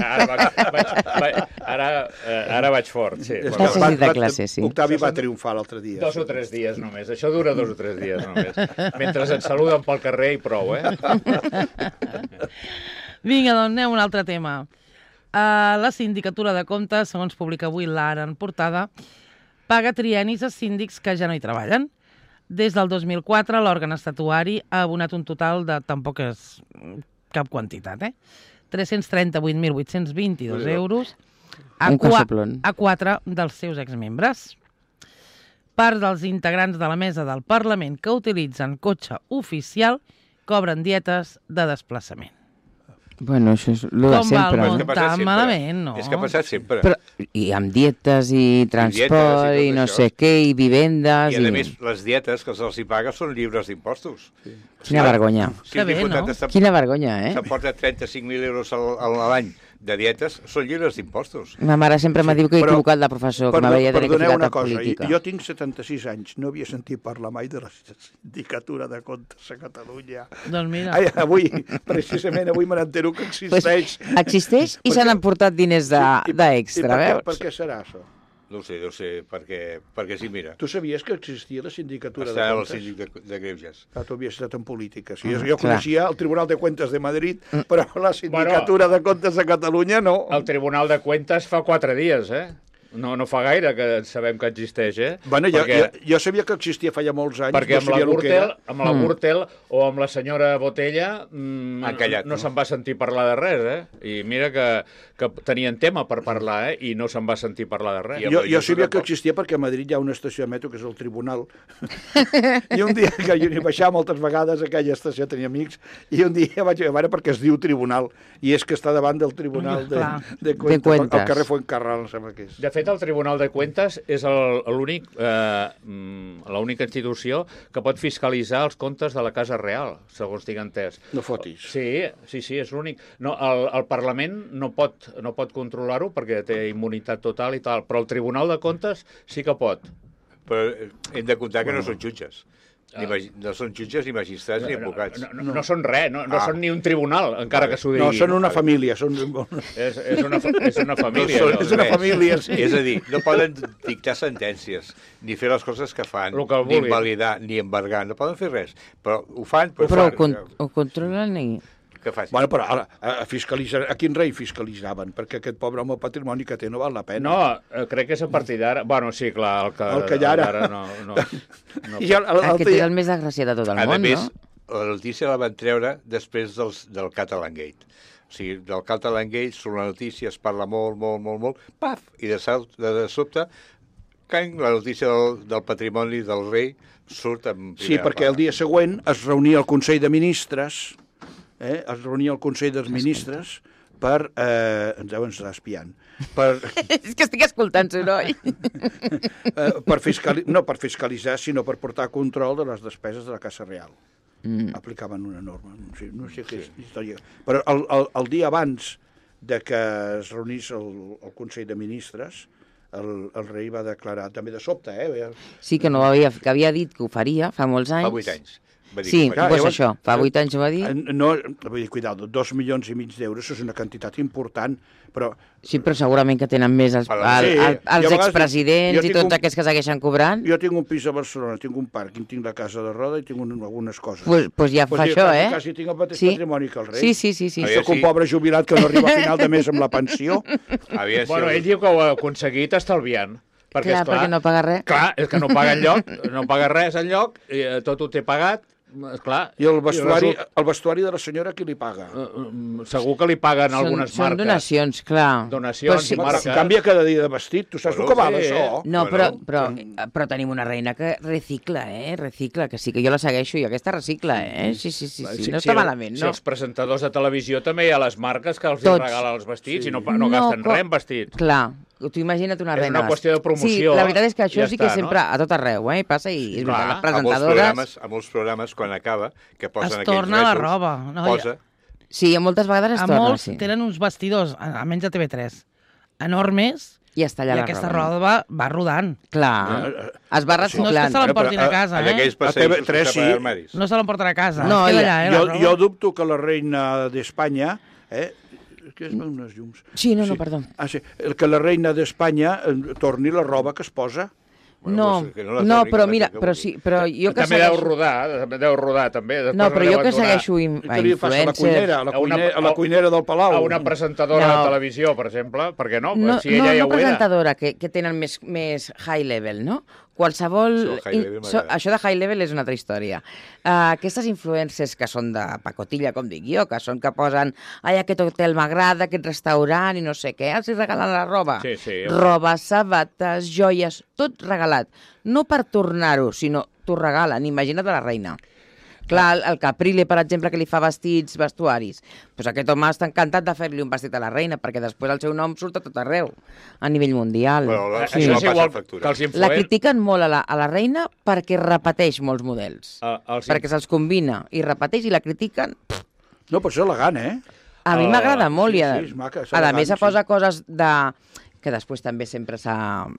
Ara, vaig, vaig, vaig, ara, eh, ara vaig fort, sí. És Va que ser va- de va- classe, sí. Octavi va triomfar l'altre dia. Dos o tres dies només. Això dura dos o tres dies només. Mentre ens saluden pel carrer i prou, eh? Vinga, doncs anem a un altre tema. Uh, la Sindicatura de Comptes, segons publica avui l'Ara en portada, paga triennis a síndics que ja no hi treballen. Des del dos mil quatre, l'òrgan estatuari ha abonat un total de, tampoc és cap quantitat, eh? tres-cents trenta-vuit mil vuit-cents vint-i-dos euros a, qua a quatre dels seus exmembres. Part dels integrants de la mesa del Parlament que utilitzen cotxe oficial cobren dietes de desplaçament. Bueno, això és el de Com sempre. va No? el tan malament, no? És que ha passat sempre. Però, I amb dietes i transport i, i, i no això. sé què, i vivendes... I a i... més, les dietes que se'ls hi paga són lliures d'impostos. Sí. Quina vergonya. Si Que un bé, diputat no? està- Quina vergonya, eh? s'emporta trenta-cinc mil euros al- a l'any de dietes, són lliures d'impostos. Ma mare sempre me diu que he Però- equivocat de professor, que Perdó, m'havia de tenir que perdoneu ficar una a cosa, política. jo tinc setanta-sis anys, no havia sentit parlar mai de la Sindicatura de Comptes a Catalunya. Doncs mira. Ai, avui, precisament avui me n'entero que existeix. Pues, existeix i se n'han portat diners I- d'extra, i per, què, veus? per què serà això? No ho sé, no ho sé, perquè, perquè sí, mira, Tu sabies que existia la Sindicatura està de el Comptes? síndic de, de Greuges. Ah, tu havies estat en política. Sí, jo, Mm, jo clar. coneixia el Tribunal de Cuentas de Madrid, però la Sindicatura de Comptes de Catalunya no. El Tribunal de Cuentas fa quatre dies, eh? No, no fa gaire que sabem que existeix, eh? Bueno, jo, perquè, jo, jo sabia que existia feia molts anys, perquè no amb la sabia el que Gürtel, era. amb la Gürtel o amb la senyora Botella mm, Han callat, no, no? se'n va sentir parlar de res, eh? I mira que, que tenien tema per parlar, eh? I no se'n va sentir parlar de res. I amb Jo, la jo sabia que tampoc. existia perquè a Madrid hi ha una estació de metro que és el Tribunal. I un dia que jo hi baixava moltes vegades a aquella estació, tenia amics, i un dia vaig a veure perquè es diu Tribunal, i és que està davant del Tribunal de, Clar. de, Cuentas, De Cuentas. al carrer Fuencarral, em sembla que és. De fet, el Tribunal de Cuentas és el- l'únic, eh, mm, l'única institució que pot fiscalitzar els comptes de la Casa Real, segons tinc entès. No fotis. Sí, sí, sí, és l'únic. No, el, el Parlament no pot, no pot controlar-ho perquè té immunitat total i tal, però el Tribunal de Comptes sí que pot. Però eh, hem de comptar que no són jutges. Ni magi- no són jutges, ni magistrats, ni advocats. No, no, no. no són res, no, no Ah. són ni un tribunal, encara que s'ho digui. No, són una família. Són... És, és, una, fa- és una família. No són allò. és una res. família, sí. És a dir, no poden dictar sentències, ni fer les coses que fan, Lo que ni vulguin. invalidar, ni embargar, no poden fer res. Però ho fan, però, Però ho, fan. con ho controlen i... Què fas? Bueno, però ara, a, fiscalitzar, a quin rei fiscalitzaven? Perquè aquest pobre home el patrimoni que té no val la pena. No, eh, crec que és a partir d'ara... Bueno, sí, clar, el que, El que hi ha ara. d'ara no, no, no. I el, el, el, Aquest és el més desgraciat de tot el A món, més, no? la notícia la van treure després dels, del Catalan Gate. O sigui, del Catalan Gate sobre la notícia es parla molt, molt, molt, molt, paf, i de, salt, de, de sobte, cany, la notícia del, del patrimoni del rei surt en Sí, perquè el dia següent es reunia el Consell de Ministres, eh, es reunia el Consell dels Ministres per... Eh, ens deuen estar espiant. Per, És que estic escoltant soroll. eh, per fiscali no per fiscalitzar, sinó per portar control de les despeses de la Casa Real. Mm. Aplicaven una norma. No sé, no sé què és història. Però el, el, el dia abans de que es reunís el, el Consell de Ministres, el, el rei va declarar, també de sobte, eh? Sí, que no havia, que havia dit que ho faria fa molts anys. Fa vuit anys. Va dir Sí, que ho faria. doncs llavors- això, fa vuit anys ho va dir. No, vull dir, cuidado, dos milions i mig d'euros és una quantitat important, però... Sí, però segurament que tenen més els, Sí, el, el, i a els vegades expresidents jo i tinc tots un- aquests que segueixen cobrant. Jo tinc un pis a Barcelona, tinc un pàrquing, tinc la casa de roda i tinc un, algunes coses. Pues, pues ja Pues fa jo això, quasi, eh? Quasi tinc el mateix Sí. patrimoni que el rei. Sí, sí, sí. sí. A veure, Soc un sí. pobre jubilat que no arriba a final de mes amb la pensió. Aviam si Bueno, el- ell diu que ho ha aconseguit estalviant. Perquè, Clar, esclar, perquè no paga res. Clar, és que no paga enlloc, no paga res enlloc, i eh, tot ho té pagat, esclar. I el vestuari, resulta- el vestuari de la senyora qui li paga? eh, eh, segur que li paguen Són, algunes són marques. donacions, clar. Donacions Però sí, i marques. Canvia cada dia de vestit, tu saps Bueno, el que val, sí, això? No, Bueno, però, però, però tenim una reina que recicla, eh? Recicla, que sí, que jo la segueixo i aquesta recicla, eh? Sí, sí, sí, sí. no està malament, si no? els presentadors de televisió també hi ha les marques que els hi Tots. regalen els vestits Sí. i no, pa- no gasten co- res en vestits. Clar, tu imagina't una És reina. una qüestió de promoció, Sí, la veritat és que això ja sí que està, sempre, no? a tot arreu, eh? Passa i és Clar, veritat, les a molts presentadores... programes, a molts programes, quan acaba, que posen Es aquells torna la rètols, roba, no? posa... Sí, moltes vegades es A torna, molts sí. tenen uns vestidors, almenys a T V tres, enormes, I està allà i la aquesta roba. roba va, va rodant. Clar, es va No és que reciclant. se l'emportin a Bueno, però, casa, En eh? aquells A passeios T V tres que sí. sí. armaris. No se l'emporten a casa, No, es queda ja- allà, eh, Jo, la jo roba. dubto que la reina d'Espanya... Eh, que es veuen unes llums. Sí, no, no, perdó. Ah, sí. El que la reina d'Espanya eh, torni la roba que es posa. No, Bueno, pues, no, no, però mira, però sí, però jo que també deu segueixo... rodar, també deu rodar, també. Després No, però jo que deuen donar segueixo in- I a què li fas a la cuinera, a la, A una- cuinera, a la cuinera del Palau? A una presentadora No. de televisió, per exemple, perquè no? No, si no, ella ja no ho era. presentadora, que, que tenen més, més high level, no? Qualsevol... Això del high level in- so, m'agrada. això de high level és una altra història. Uh, aquestes influencers que són de pacotilla, com dic jo, que són que posen ai, aquest hotel m'agrada, aquest restaurant i no sé què, els hi regalen la roba. Sí, sí. Roba, sabates, joies, tot regalat. No per tornar-ho, sinó t'ho regalen. Imagina't a la reina. Clar, el, el Caprile, per exemple, que li fa vestits, vestuaris, doncs aquest home està encantat de fer-li un vestit a la reina, perquè després el seu nom surt a tot arreu, a nivell mundial. Però la- Sí. Això és passa igual factura. que els La influents... critiquen molt a la, a la reina perquè repeteix molts models. Uh, els Perquè se'ls combina i repeteix i la critiquen. No, però això és elegant, eh? A mi Ah, m'agrada molt. sí, i a, sí, és maca, és a elegant, més, se sí. posa coses de que després també sempre se,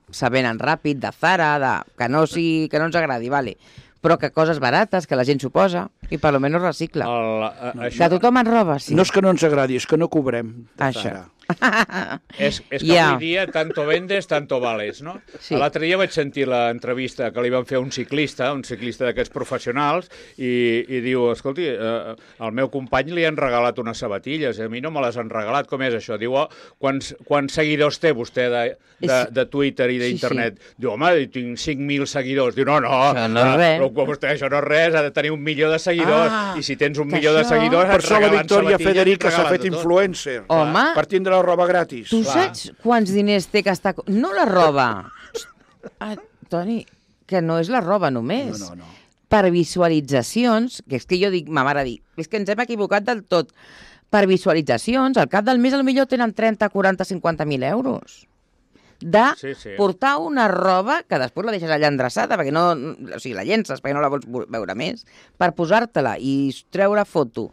se venen ràpid, de Zara, de, que, no si, que no ens agradi, vale. Però que coses barates, que la gent s'ho posa, i per almenys recicla. El, uh, De això, tothom en roba, sí. No és que no ens agradi, és que no cobrem. de Això. Zara. és, és que Ja. avui dia tanto vendes, tanto vales, no? Sí. L'altre dia vaig sentir l'entrevista que li van fer a un ciclista, un ciclista d'aquests professionals, i, i diu, escolti, eh, al meu company li han regalat unes sabatilles, a mi no me les han regalat, com és això? Diu, oh, quants, quants seguidors té vostè de, de, És- de Twitter i d'internet? Sí, Diu, home, tinc cinc mil seguidors. Diu, no, no, Això no és eh, res. però com vostè, això no és res, ha de tenir un milió de seguidors, Ah, i si tens un que milió de això- seguidors, Per et això la regalen Victòria sabatilles i et Federica s'ha regalen fet de tot. influencer. Home, Per tindre la roba gratis. tu clar. saps quants diners té que està... No la roba. Ah, Toni, que no és la roba només. No, no, no. Per visualitzacions, que és que jo dic, ma mare dic, és que ens hem equivocat del tot. Per visualitzacions, al cap del mes potser tenen trenta, quaranta, cinquanta mil euros. De Sí, sí. portar una roba que després la deixes allà endreçada, perquè no, o sigui, la llences perquè no la vols veure més, per posar-te-la i treure foto,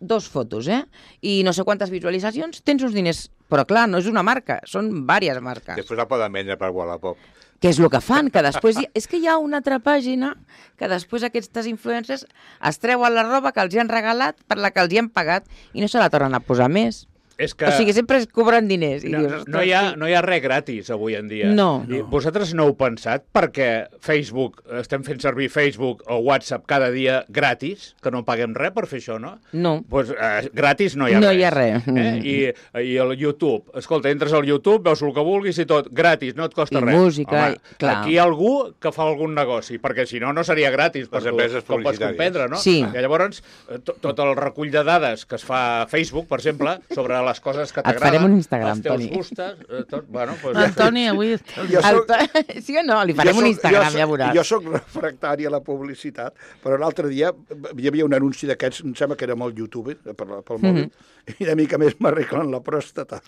dos fotos, eh? I no sé quantes visualitzacions, tens uns diners. Però clar, no és una marca, són diverses marques. Després la poden vendre per Wallapop. Què és el que fan? Que després hi... És que hi ha una altra pàgina que després aquestes influencers es treuen la roba que els hi han regalat per la que els hi han pagat i no se la tornen a posar més. És que... O sigui, sempre es cobren diners. I No, dius, no, "Ostres, hi ha, sí." no hi ha res gratis avui en dia. No. I vosaltres no heu pensat perquè Facebook, estem fent servir Facebook o WhatsApp cada dia gratis, que no paguem res per fer això, no? No. Pues, eh, gratis no hi ha No res. hi ha res. Eh? I, I el YouTube, escolta, entres al YouTube, veus el que vulguis i tot, gratis, no et costa I res. música, Home, i- clar. aquí hi ha algú que fa algun negoci, perquè si no, no seria gratis. per Les tu, empreses com pots publicitàries. comprendre, no? Sí. I llavors, eh, to- tot el recull de dades que es fa a Facebook, per exemple, sobre les coses que Et t'agraden, farem un Instagram, els teus Toni. gustes, eh, tot, bueno, pues, El Toni avui... està- Jo El soc- to- Sí o no? Li farem Jo un soc- Instagram, jo soc- ja veuràs. Jo sóc refractari a la publicitat, però l'altre dia hi havia un anunci d'aquests, em sembla que era amb el YouTube, eh, per, pel mòbil, Mhm. i una mica més m'arreglen la pròstata.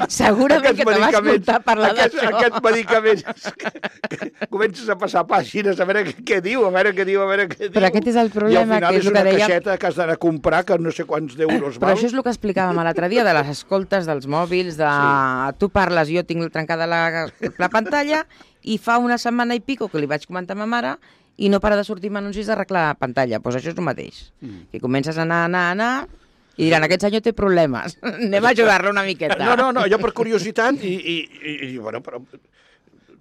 Segurament que te va medicaments- escoltar parlar aquest, d'això. Aquests medicaments que, que comences a passar pàgines a veure què, què diu, a veure què diu, a veure què diu. Però aquest és el problema, I al final que és és el que una dèiem- caixeta que has d'anar a comprar, que no sé quants d'euros Però val. això és el que explicàvem l'altre dia, de les escoltes dels mòbils, de sí. Tu parles, jo tinc trencada la, la pantalla, i fa una setmana i pico que li vaig comentar a ma mare i no para de sortir anuncis d'arreglar la pantalla. Doncs pues això és el mateix. Mm. Que comences a anar, anar, anar, i diran, aquest senyor té problemes. Anem a ajudar-lo una miqueta. No, no, no, jo per curiositat, i, i, i, i bueno, però...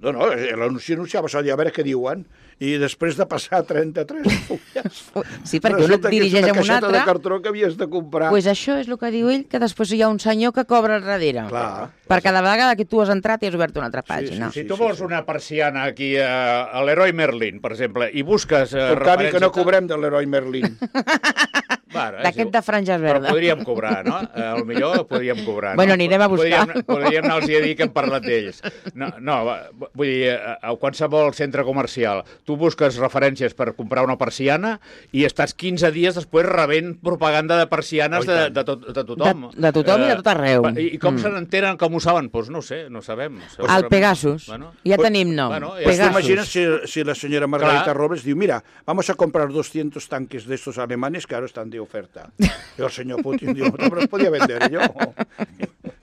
No, no, l'anunci anunciava això, a veure què diuen, i després de passar trenta-tres fulles... Sí, perquè un et dirigeix a un Resulta que és una caixeta altre. de cartró que havies de comprar. Pues això és el que diu ell, que després hi ha un senyor que cobra al darrere. Clar. Per cada vegada que tu has entrat i has obert una altra pàgina. Si tu vols una persiana aquí a, a l'Heroi Merlin, per exemple, i busques eh, Per canvi que no referències- cobrem de l'heroi Merlin. Bueno, és D'aquest igual. de franges Però verdes. podríem cobrar, no? Eh, Al millor podríem cobrar. Bueno, no? anirem a buscar. Podríem, podríem anar-los a dir que hem parlat d'ells. No, no, va, vull dir, a, a qualsevol centre comercial, tu busques referències per comprar una persiana i estàs quinze dies després rebent propaganda de persianes Oh, i de, tant. de, tot, de tothom. De- de tothom i de tot arreu. I, i com Mm. se n'entenen, com ho saben? Doncs pues no ho sé, no sabem. El Pegasus. Bueno, Ja Pues- tenim nom. bueno, ja Pues Pegasus. tú imaginas si, si la señora Margarita Claro. Robles dice, mira, vamos a comprar doscientos tanques de estos alemanes que ahora están de oferta. Y el señor Putin dijo, no, pero los podía vender yo.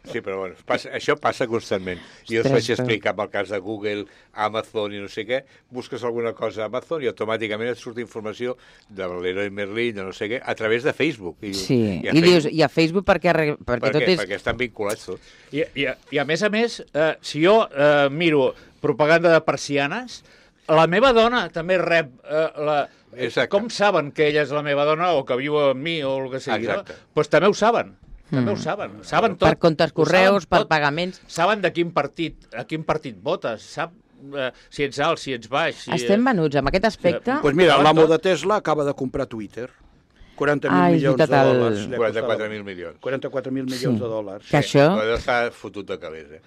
Sí, però bueno, passa, això passa constantment. Jo us vaig explicar amb el cas de Google, Amazon i no sé què, busques alguna cosa a Amazon i automàticament et surt informació de l'Heroi Merlin, de no sé què, a través de Facebook. I, Sí, i, a i Facebook, dius, i a Facebook perquè, arre- perquè per tot què? és... Perquè estan vinculats tots. I, i, I a més a més, eh, si jo eh, miro propaganda de persianes, la meva dona també rep eh, la... Exacte. Com saben que ella és la meva dona o que viu amb mi o el que sigui, no? Exacte. Doncs també ho saben. També ho saben. Saben tot. Per comptes Ho correus, saben per tot. pagaments... Saben de quin partit, a quin partit votes, sap eh, si ets alt, si ets baix. Si, Estem venuts amb aquest aspecte... Eh, Doncs pues mira, Saben l'amo tot. de Tesla acaba de comprar Twitter. quaranta mil Ah, és milions de veritat, el- dòlars. li ha costat quaranta-quatre la- mil milions. quaranta-quatre mil milions de dòlars. Que això... Però deu estar fotut de calés, eh?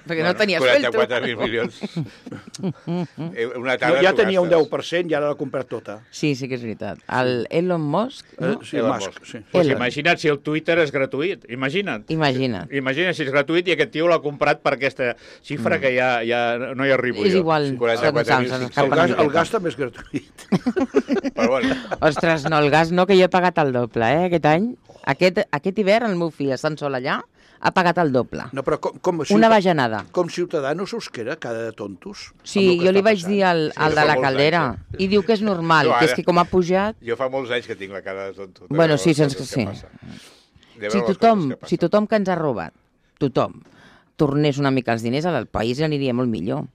Perquè no tenia sueldo. quaranta-quatre mil milions. Eh, Una No, tarda ja t'ho tenia un gastes. deu per cent i ara l'ha comprat tota. Sí, sí que és veritat. El Elon Musk, Eh, no? sí, Elon Musk, Musk. sí. Pues Elon. imagina't si el Twitter és gratuït. Imagina't. Imagina't. Imagina't si és gratuït i aquest tio l'ha comprat per aquesta xifra mm. que ja, ja no hi arribo És jo. igual. quaranta-quatre mil se'ns cinc-cents. escapa El gas, una el miqueta. gas també és gratuït. Però bueno, Ostres, no, el gas no, que jo he pagat el doble, eh, aquest any. Aquest, aquest hivern el meu fill, estant sol allà, ha pagat el doble. No, però com, com, Una bajanada. com ciutadans us queda cada de tontos? Sí, amb el que jo li està vaig passant? dir al, Sí, al fa de la molts caldera anys, eh? i diu que és normal, No, que és ara- que com ha pujat... jo fa molts anys que tinc la cara de tonto. de Bueno, veure sí, les sense coses que que sí. passen. De veure Si les tothom, coses que si passen. tothom que ens ha robat, tothom, tornés una mica els diners, al país aniria molt millor.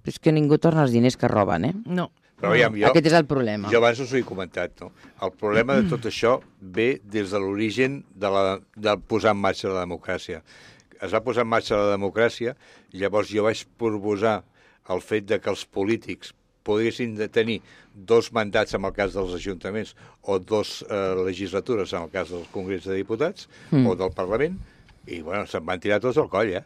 Però és que ningú torna els diners que roben, eh? No. Però aviam, jo, Aquest és el problema. jo abans us ho he comentat, no? El problema de tot això ve des de l'origen de, la, de posar en marxa la democràcia. Es va posar en marxa la democràcia, llavors jo vaig proposar el fet de que els polítics poguessin de tenir dos mandats en el cas dels ajuntaments o dos eh, legislatures en el cas del Congrés de Diputats mm. o del Parlament, i bueno, se'n van tirar tots al coll, eh?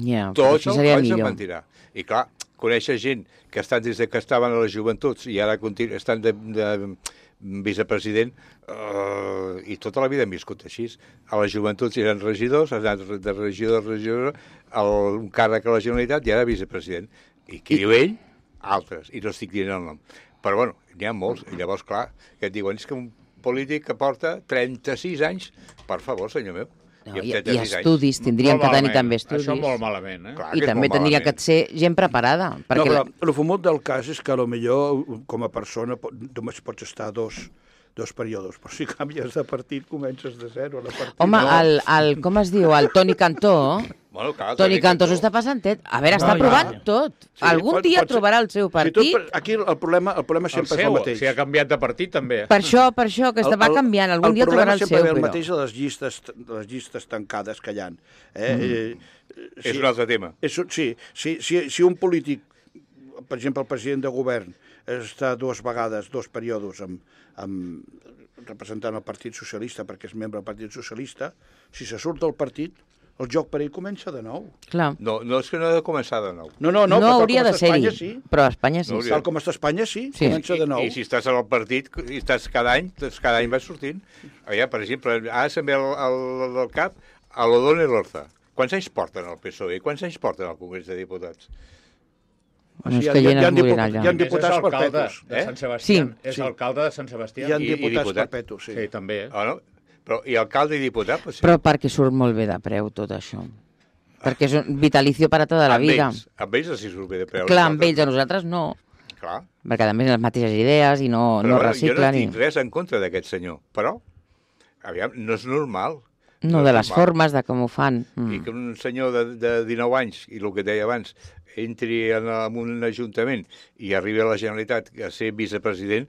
Ja, però Tots això al seria coll se'n millor. van tirar. I clar, conèixer gent que estan des de que estaven a les joventuts i ara continu estan de, de vicepresident, uh, i tota la vida hem viscut així. A les joventuts eren regidors, han anat de regidor a regidor, el, un càrrec a la Generalitat i ara vicepresident. I qui I... diu ell? Altres, i no estic dient el nom. Però bueno, n'hi ha molts, i llavors, clar, que et diuen, és que un polític que porta trenta-sis anys, per favor, senyor meu. No, amb i, trenta-sis I anys. estudis, tindrien Molt que tenir malament. també estudis. Això molt malament, eh? Clar I que és també molt tindria que malament. ser gent preparada. Perquè No, però el fumut del cas és que a lo millor com a persona pot- només pots estar dos, dos períodes, però si canvies de partit comences de zero. La partit, Home, no. el, el, com es diu, el Toni Cantó... Bueno, clar, Toni Cantó s'ho està passant tot. A veure, està No, provant ja. tot. Sí, Algun pot- dia pot ser- trobarà el seu Si partit. tot, aquí el problema, el problema El sempre és seu, el mateix. si ha canviat de partit, també. Per això, per això, que està, va canviant. Algun dia trobarà el seu, El problema sempre ve el però... mateix a les llistes, les llistes tancades que hi ha. Eh? Mm. Eh, És un altre tema. És, un- sí, si, si, si un polític, per exemple, el president de govern, està dues vegades, dos períodes amb, amb representant el Partit Socialista perquè és membre del Partit Socialista, si se surt del partit, el joc per ell comença de nou. Clar. No, no és que no ha de començar de nou. No, no, No, no, però tal hauria com de està Espanya, ser-hi, sí. però a Espanya sí. No hauria. Tal com està Espanya, sí, Sí. comença de nou. I, I si estàs en el partit, i estàs cada any, doncs cada any vas sortint. Allà, per exemple, ara se'm ve al, al, al cap a l'Odone Lorza. Quants anys porten al P S O E? Quants anys porten al Congrés de Diputats? Bueno, és Sí, que hi ha- gent hi ha es morirà diputats- allà. hi ha És diputats alcalde perpetus. de eh? Sant Sebastià. Sí. És Sí. alcalde de Sant Sebastià. Hi ha I- i diputats diputat. perpetus, sí. Sí, també. Eh? Oh, no? Però, i alcalde i diputat? Pues, sí. Però perquè surt molt bé de preu tot això. Perquè és un vitalicio per a tota la amb vida. Ells, amb ells els hi surt bé de preu. Clar, amb ells, a nosaltres no. Clar. Perquè també les mateixes idees i no, Però no bueno, jo no reciclen. tinc I... res en contra d'aquest senyor, però, aviam, no és normal. No, és de les normal. formes, de com ho fan. I Mm. que un senyor de, de dinou anys, i el que deia abans, entri en, en un ajuntament i arribi a la Generalitat a ser vicepresident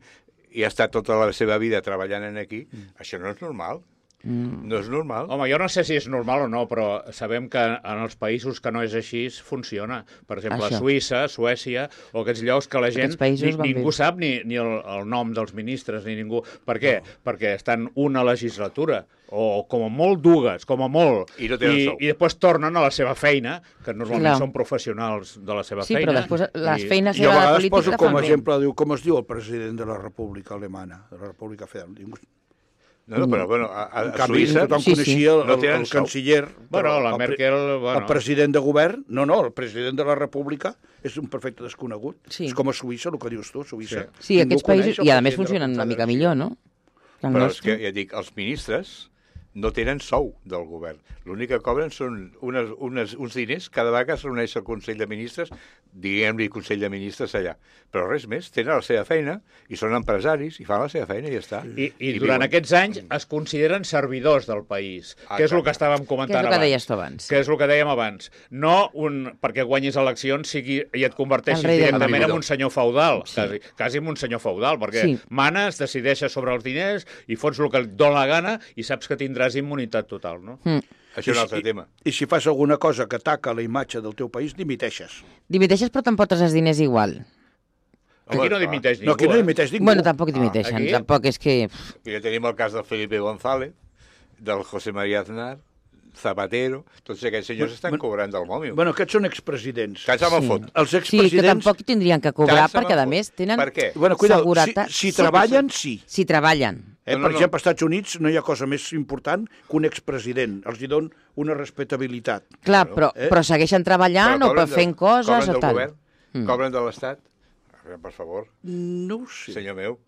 i ha estat tota la seva vida treballant en aquí, mm. això no és normal. Mm. No és normal. Home, jo no sé si és normal o no, però sabem que en els països que no és així funciona. Per exemple, Això. a Suïssa, Suècia, o aquests llocs que la gent Aquests països ni, van ningú bé. sap ni, ni el, el nom dels ministres, ni ningú. Per què? No. Perquè estan una legislatura, o com a molt dues, com a molt, I no tenen i, sou. i després tornen a la seva feina, que normalment Clar. són professionals de la seva Sí, feina. però després les i- feines Jo a de la vegades política poso la com fan a bé. exemple, diu, com es diu el president de la República Alemana, de la República Federal? Ningú... No, no, però bueno, a, a, En a canvi, Suïssa... tothom Sí, sí. coneixia el, No el, tenen el sou. canciller. Bueno, però la el pre- Merkel, bueno. El president de govern, no, no, el president de la República és un perfecte desconegut. Sí. És com a Suïssa, el que dius tu, Suïssa. Sí, Ningú aquests països, coneix el i a més president de la funcionen una mica Confederació. millor, no? Que el Però és nostre. que, ja dic, els ministres no tenen sou del govern. L'únic que cobren són unes, unes, uns diners cada vegada que es reuneix el Consell de Ministres, diguem-li Consell de Ministres allà. Però res més, tenen la seva feina i són empresaris i fan la seva feina i ja està. I, i, I durant viuen. Aquests anys es consideren servidors del país, ah, que és el que estàvem comentant abans. Que és el que deies tu abans. Que és el que dèiem abans. No un, perquè guanyis eleccions sigui, i et converteixis directament en un senyor feudal, sí. quasi, quasi en un senyor feudal, perquè sí. manes, decideixes sobre els diners i fots el que et dóna la gana i saps que tindràs immunitat total, no? Mm. Això és un altre I, tema. I si fas alguna cosa que ataca la imatge del teu país, dimiteixes. Dimiteixes, però t'emportes els diners igual. Aquí no dimiteix ningú. No, aquí no dimiteix ningú. Bueno, tampoc dimiteixen, ah, tampoc és que... I ja tenim el cas del Felipe González, del José María Aznar, Zapatero, tots aquests senyors bueno, estan cobrant del mòbil. Bueno, aquests són expresidents. Cats amb el sí. fot. Els expresidents... Sí, que tampoc tindrien que cobrar, perquè a més tenen bueno, cuidado, seguretat. Si, si treballen, sí. Si treballen. Eh, no, no, per exemple, als Estats Units no hi ha cosa més important que un expresident. Els hi don una respectabilitat. Clar, però, eh? però segueixen treballant però o per fent coses o tal. Cobren del govern? Mm. Cobren de l'Estat? Per favor. No ho sé. Senyor meu.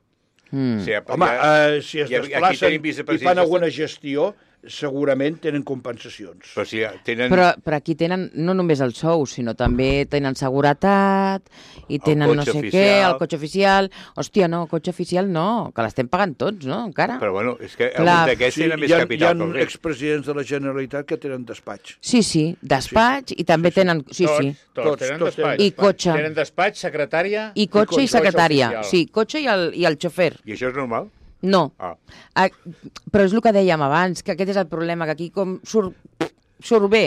Mm. Si, Home, ha, uh, si es desplacen i fan alguna gestió, segurament tenen compensacions. Però, si tenen... però, però aquí tenen no només el sou, sinó també tenen seguretat i tenen no sé oficial. Què, el cotxe oficial. Hòstia, no, cotxe oficial no, que l'estem pagant tots, no, encara. Però bueno, és que algun d'aquests sí, tenen més capital que el rei. Hi ha expresidents de la Generalitat que tenen despatx. Sí, sí, despatx sí. I també sí, sí. tenen... Sí, tots, sí. Tots, tots tenen tots despatx. I cotxe. Tenen despatx, secretària... I cotxe i, i secretària. Oficial. Sí, cotxe i el, i el xofer. I això és normal? No, ah. ah, però és el que dèiem abans, que aquest és el problema, que aquí com surt, surt bé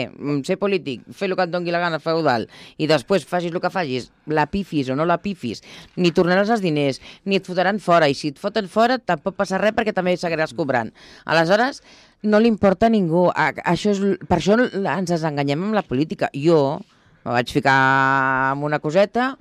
ser polític, fer el que et doni la gana feudal, i després facis el que facis, la pifis o no la pifis, ni tornaràs els diners, ni et fotran fora, i si et foten fora tampoc passa res perquè també seguiràs cobrant. Aleshores, no li importa a ningú. Això és, per això ens desenganyem amb la política. Jo me vaig ficar amb una coseta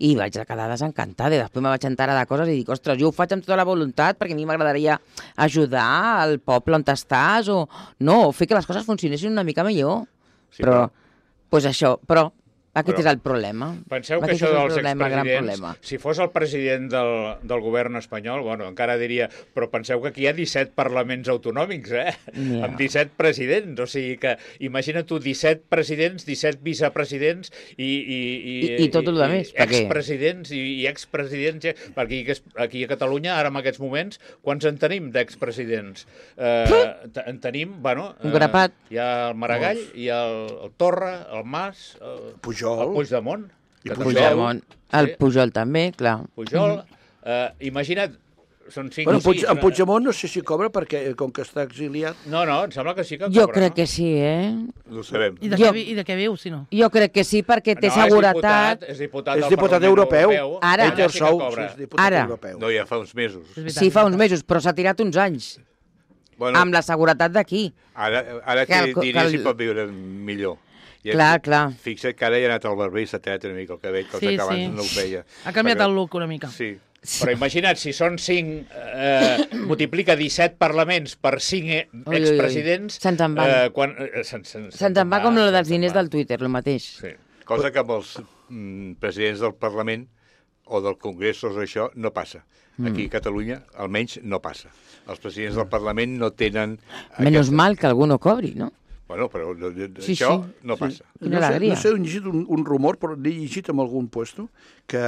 i vaig quedar desencantada. I després me vaig enterar de coses i dic, ostres, jo ho faig amb tota la voluntat perquè a mi m'agradaria ajudar al poble on estàs o no, o fer que les coses funcionessin una mica millor. Sí, però, però, pues això, però aquest però, és el problema. Penseu aquest que això dels problema, expresidents, si fos el president del, del govern espanyol, bueno, encara diria, però penseu que aquí hi ha disset parlaments autonòmics, eh? Yeah. Amb disset presidents, o sigui que imagina tu disset presidents, disset vicepresidents i... I, i, I, i tot el de més. Expresidents i, i expresidents, perquè aquí a Catalunya, ara en aquests moments, quants en tenim d'expresidents? Eh, en tenim, bueno... Un grapat. Eh, hi ha el Maragall, hi ha el, el Torra, el Mas... El, Pujol. El Puigdemont. El Puigdemont. El Pujol també, clar. Pujol. Eh, imagina't, són cinc bueno, o sis... En Puigdemont no sé si cobra perquè, com que està exiliat... No, no, em sembla que sí que cobra. Jo crec no? que sí, eh? No ho sabem. I de, jo... què, i de què viu, si no? Jo crec que sí, perquè té no, seguretat... És diputat, és diputat, és diputat europeu. europeu. Ara. Ell té el sou, sí és diputat Ara. europeu. No, ja fa uns mesos. Sí, fa uns mesos, però s'ha tirat uns anys. Bueno, amb la seguretat d'aquí. Ara, ara que, diré que el... si pot viure millor. I clar, aquí, clar. Fixa't que ara ja ha anat al barber i s'ha tallat una mica el cabell, cosa sí, que abans sí. no ho feia. Ha canviat Perquè... el look una mica. Sí. Però imagina't, si són cinc, eh, multiplica disset parlaments per cinc expresidents... Se'ns en van. Eh, quan, eh, Se'ns se, se, se va com la dels diners del Twitter, el mateix. Sí. Cosa que amb els mm, presidents del Parlament o del Congrés o això no passa. Aquí a Catalunya, almenys, no passa. Els presidents del Parlament no tenen... Menys aquesta... mal que algú no cobri, no? Bueno, però sí, això sí. no passa. Sí. No, sé, no sé, he llegit un, un rumor, però l'he llegit en algun puesto, que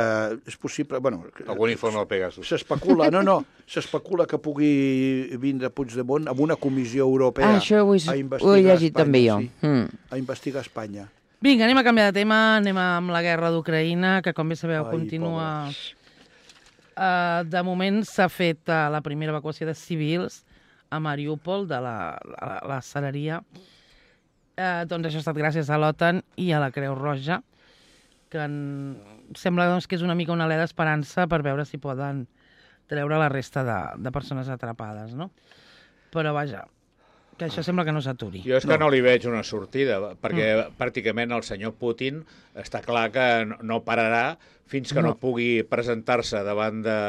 és possible... Bueno, algun informe del Pegasus. S'especula, no, no, s'especula que pugui vindre Puigdemont amb una comissió europea ah, això ho he, a investigar ho he llegit Espanya, també jo. Sí, mm. a investigar Espanya. Vinga, anem a canviar de tema, anem amb la guerra d'Ucraïna, que com bé sabeu Ai, continua... Uh, de moment s'ha fet uh, la primera evacuació de civils a Mariúpol, de la, la, la cereria. Eh, doncs això ha estat gràcies a l'OTAN i a la Creu Roja, que en... sembla doncs, que és una mica una alè d'esperança per veure si poden treure la resta de, de persones atrapades, no? Però vaja, que això sembla que no s'aturi. Jo és que no. no li veig una sortida, perquè mm. pràcticament el senyor Putin està clar que no pararà fins que no, no pugui presentar-se davant de,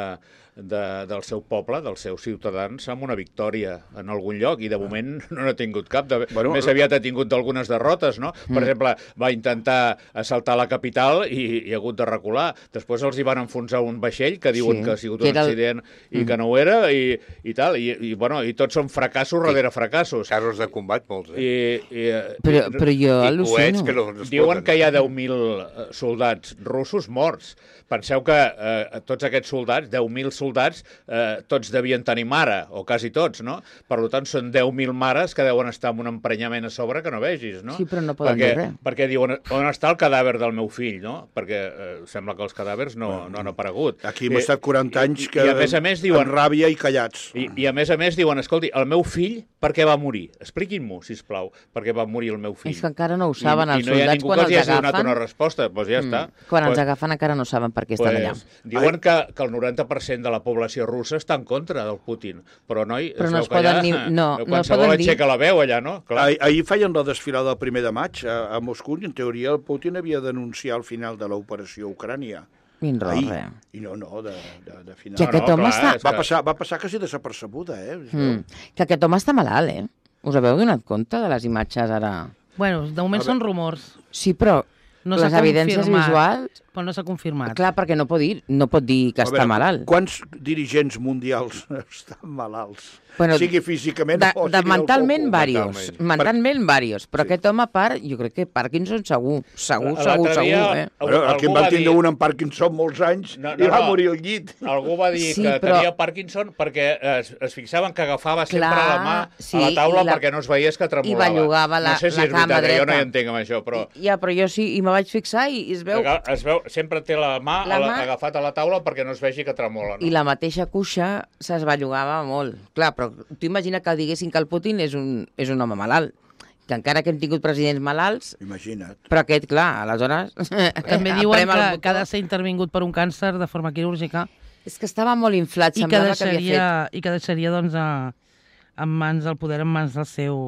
de, del seu poble, dels seus ciutadans, amb una victòria en algun lloc, i de moment no n'ha tingut cap. De, bueno, més aviat ha tingut algunes derrotes, no? Per mm. exemple, va intentar assaltar la capital i, i ha hagut de recular. Després els hi van enfonsar un vaixell que diuen sí, que ha sigut un accident el... i mm. que no ho era, i, i tal. I, i, bueno, i tots són fracassos sí. darrere fracassos. Carros de combat, molts, eh? I, i, però, però jo al·lucino. Que no, no diuen que hi ha deu mil soldats russos morts. Penseu que eh, tots aquests soldats, deu mil soldats, eh, tots devien tenir mare, o quasi tots, no? Per tant, són deu mil mares que deuen estar amb un emprenyament a sobre que no vegis, no? Sí, però no poden perquè, dir res. Perquè diuen, on està el cadàver del meu fill, no? Perquè eh, sembla que els cadàvers no, bueno, no han aparegut. Aquí hem estat quaranta anys que I, i a més a més diuen, amb ràbia i callats. I, I a més a més diuen, escolti, el meu fill per què va morir? Expliquin-m'ho, sisplau, per què va morir el meu fill. És que encara no ho saben, I, els i no soldats quan els agafen. I no hi ha ningú que els hagi donat una resposta, doncs ja mm. està. Quan pues, els agafen encara no saben per què estan pues, allà. Diuen que, que el noranta per cent de la població russa està en contra del Putin, però noi, però es no veu es poden allà, ni... No, no es poden dir... aixeca la veu allà, no? Clar. Ah, ahir feien la desfilada del primer de maig a, a Moscou i en teoria el Putin havia d'anunciar el final de l'operació a Ucrània. Ahir. I no, no, de, de, de final. Que aquest no, home clar, està... Va passar, va passar quasi desapercebuda, eh? Mm. Que aquest home està malalt, eh? Us haveu donat compte de les imatges ara? Bueno, de moment són rumors. Sí, però no les evidències visuals... Però no s'ha confirmat. Clar, perquè no pot dir, no pot dir que està malalt. Quants dirigents mundials estan malalts? Bueno, sigui físicament de, o de sigui mentalment varios, mentalment, mentalment varios, però sí. Aquest home a part, jo crec que Parkinson segur, segur, segur, segur, eh? Però aquí en van tindre dir... un amb Parkinson molts anys no, no, i va no. morir al llit. Algú va dir sí, que però... tenia Parkinson perquè es, es fixaven que agafava Clar, sempre la mà sí, a la taula la... perquè no es veiés que tremolava. I bellugava la, no sé si la és veritat, dreta. Jo no hi entenc amb això, però... I, ja, però jo sí, i me vaig fixar i es veu... Es veu, sempre té la mà, la mà... agafat a la taula perquè no es vegi que tremola. No? I la mateixa cuixa s'esbellugava molt. Clar, però tu imagina que diguessin que el Putin és un, és un home malalt, que encara que hem tingut presidents malalts... Imagina't. Però aquest, clar, aleshores... També diuen que, que ha de ser intervingut per un càncer de forma quirúrgica. És que estava molt inflat, I semblava que, deixaria, que havia fet... I que deixaria, doncs, a, en mans del poder, en mans del seu...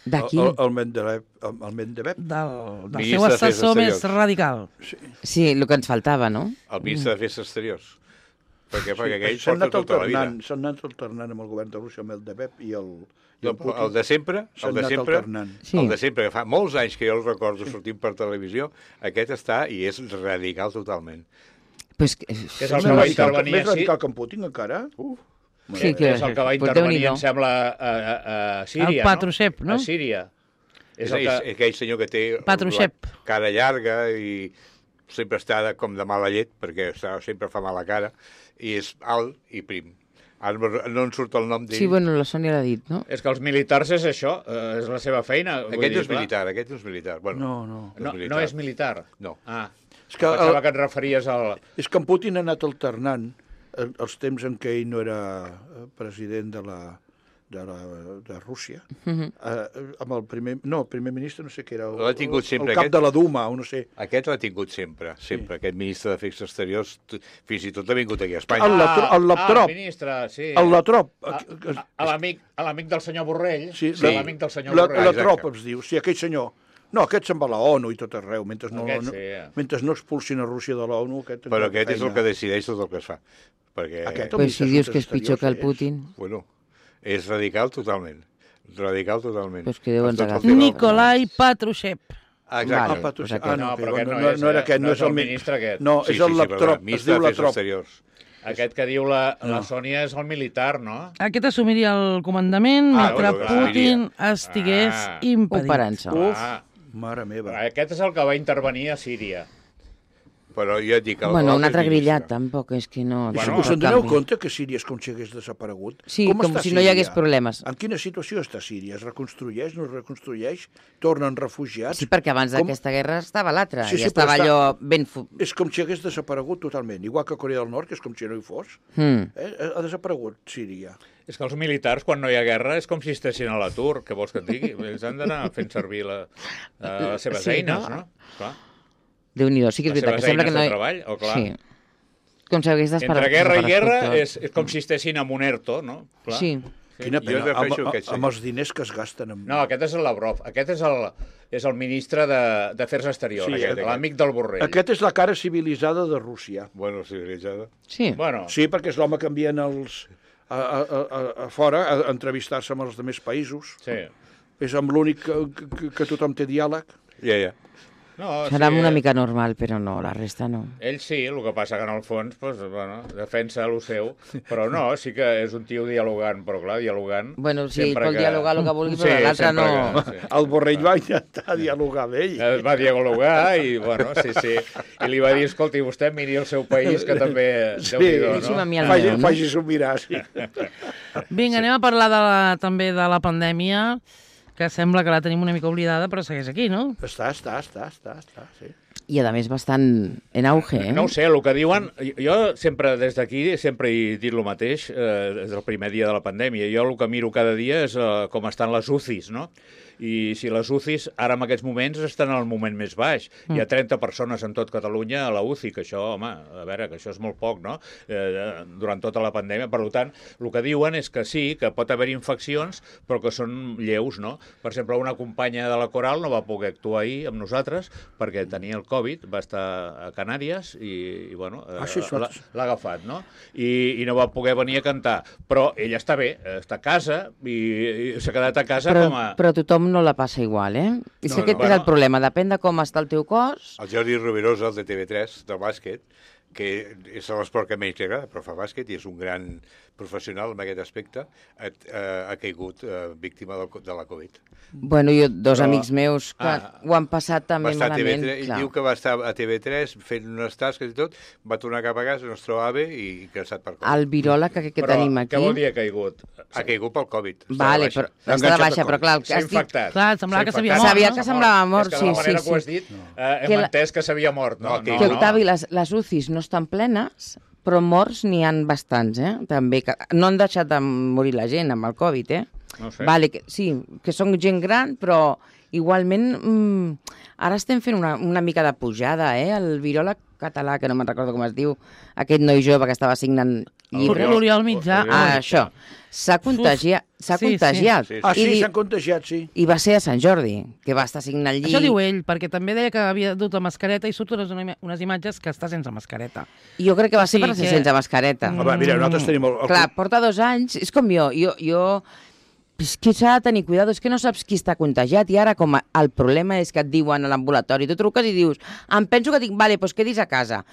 D'aquí? El, el, Mendebev. El Mendebev. Del, del seu assessor més radical. Sí. sí, el que ens faltava, no? El ministre d'Afers Exteriors. Perquè, perquè aquell s'han porta tota la vida. S'han anat alternant amb el govern de Rússia, amb el Mendebev i el... I el, el, el de sempre, el de sempre, sí. el de sempre, que fa molts anys que jo el recordo sortint per televisió, aquest està i és radical totalment. Pues que, que és el que va intervenir... Més radical que en Putin, encara? Uf. Sí, que és el que va intervenir, em sembla, a, a, a Síria, el Patrushev, no? no? A Síria. És, és el que... aquell senyor que té Patrushev. La cara llarga i sempre està com de mala llet, perquè sempre fa mala cara, i és alt i prim. Ara no en surt el nom d'ell. Sí, bueno, la Sònia l'ha dit, no? És que els militars és això, eh, és la seva feina. Aquest no és militar, aquest no és militar. Bueno, no, no. No, no, no és militar? No. Ah, és que pensava el... que et referies al... És que en Putin ha anat alternant els temps en què ell no era president de la... De, la, de Rússia, uh-huh. eh, amb el primer... No, el primer ministre no sé què era, el, el, sempre, el cap aquest, de la Duma, o no sé. Aquest l'ha tingut sempre, sempre. Sí. Aquest ministre d'Afers Exteriors, fins i tot ha vingut aquí a Espanya. El, Latro, el Laptrop. Ah, el ministre, sí. El Latrop. A l'amic del senyor Borrell. Sí, sí. l'amic del senyor la, Borrell. Latrop es diu, sí, aquell senyor. No, aquest se'n va a la ONU i tot arreu, mentre no, aquest, no, sí, ja. mentre no expulsin a Rússia de la ONU... Aquest Però aquest és el que decideix tot el que es fa. Perquè... Aquest, Però si dius que és pitjor que el Putin... Bueno, és radical totalment. Radical totalment. Pues que deuen agafar. Nikolai Patrushev. Ah, exacte. Ah, Patrushev. Ah, no, però aquest no, no, no, no era aquest, no, no és el ministre aquest. No, és el Laptrop, es diu Latrop. Aquest que diu la, la Sònia és el militar, no? Aquest assumiria el comandament ah, mentre bueno, Putin estigués ah, impedit. Operant-se. Uf, ah, mare meva. Aquest és el que va intervenir a Síria. Però jo et dic... El bueno, un altre grillat, tampoc, és que no... Bueno, us en doneu compte que Síria és com si hagués desaparegut? Sí, com, com si Síria? No hi hagués problemes. En quina situació està Síria? Es reconstrueix, no es reconstrueix? Tornen refugiats? Sí, perquè abans d'aquesta com... guerra estava l'altra, sí, sí, i estava està... allò ben... És com si hagués desaparegut totalment, igual que Corea del Nord, que és com si no hi fos. Mm. Eh? Ha desaparegut Síria. És que els militars, quan no hi ha guerra, és com si estessin a l'atur, què vols que et digui? Ells han d'anar fent servir la, uh, les seves sí, eines, no? no? Clar. Déu-n'hi-do, sí que és veritat. Que sembla que no... de treball, o clar. Sí. Com si hagués d'esperar... Entre guerra i guerra és, és com si estessin en un ERTO, no? Clar. Sí. sí. Quina Jo pena, amb, prefereixo aquest, sí. amb els diners que es gasten. Amb... No, aquest és el Lavrov. Aquest és el, és el ministre de- d'Afers Exteriors, Sí, aquest, aquest. l'amic del Borrell. Aquest és la cara civilitzada de Rússia. Bueno, civilitzada. Sí. Bueno, Sí, perquè és l'home que envien els, a, a, a, a fora a, a entrevistar-se amb els altres països. sí. És amb l'únic que, que, que tothom té diàleg. Ja, ja. No, Serà sí, una eh, mica normal, però no, la resta no. Ell sí, el que passa que en el fons pues, bueno, defensa el seu, però no, sí que és un tio dialogant, però clar, dialogant... Bueno, sí, sempre pot que... dialogar el que vulgui, però l'altre sempre no. Que, sí. El Borrell va intentar dialogar amb ell. Es va dialogar i, bueno, sí, sí. I li va dir, escolti, vostè miri el seu país, que també... Sí. Déu-n'hi-do, Deixi'm a no? mi el Faci, meu, no? faci-s'ho mirar, sí. Vinga, anem a parlar de la, també de la pandèmia, que sembla que la tenim una mica oblidada, però segueix aquí, no? Està, està, està, està, està, sí. I a més bastant en auge, eh? No ho sé, el que diuen... Jo sempre, des d'aquí, sempre he dit el mateix, eh, des del primer dia de la pandèmia. Jo el que miro cada dia és eh, com estan les U C Is, no? I si les U C Is ara en aquests moments estan al moment més baix. Mm. Hi ha trenta persones en tot Catalunya a la U C I, que això, home, a veure, que això és molt poc, no? Eh, durant tota la pandèmia. Per tant, el que diuen és que sí, que pot haver infeccions, però que són lleus, no? Per exemple, una companya de la Coral no va poder actuar ahir amb nosaltres perquè tenia el Covid, va estar a Canàries i, i bueno, Ah, sí, l'ha l'ha agafat, no? I, I no va poder venir a cantar. Però ella està bé, està a casa i, i s'ha quedat a casa Però, com a... però tothom no la passa igual, eh? I No, no, aquest no, és bueno. el problema, depèn de com està el teu cos. El Jordi Rovirosa, el de T V tres, del bàsquet, que és l'esport que menys li agrada, però fa bàsquet i és un gran professional en aquest aspecte, ha, ha caigut eh, víctima del, de la Covid. Bueno, jo, dos Però- amics meus que Ah. ho han passat també Va estar a malament. T V tres, clar. diu que va estar a T V tres fent unes tasques i tot, va tornar cap a casa, no es trobava bé i cansat per Covid. El viròleg que, que però tenim aquí... què vol dir ha caigut? Ha caigut pel Covid. està Vale, de baixa. però L'ha està de enganxat baixa, de però clar, el que S'ha has dit... infectat. Clar, semblava S'ha que s'havia infectat. mort, Sabia no? que semblava mort, és que sí, de la manera sí, que ho has sí. dit, eh, hem Que la- entès que s'havia mort. No, No, no, que- Que, no. Octavi, les, les U C Is no estan plenes, però morts n'hi han bastants, eh? També, que no han deixat de morir la gent amb el Covid, eh? No ho sé. Vale, que, sí, que són gent gran, però igualment mm, ara estem fent una, una mica de pujada, eh? El viròleg català, que no me'n recordo com es diu, aquest noi jove que estava signant llibres. L'Oriol Mitjà. Oriol. Ah, això. S'ha contagiat. S'ha Sí, sí. contagiat. Sí, sí. Ah, sí, I, di- s'han contagiat, sí. I va ser a Sant Jordi, que va estar signant llibres. Això diu ell, perquè també deia que havia dut la mascareta i surt unes, unes imatges que està sense mascareta. Jo crec que va O ser sigui per ser que- sense mascareta. Mm. Home, mira, nosaltres tenim el... el Clar, porta dos anys, és com jo, jo, jo és que s'ha de tenir cuidado, és que no saps qui està contagiat i ara com a, el problema és que et diuen a l'ambulatori, tu truques i dius, em penso que dic, vale, doncs quedis a casa.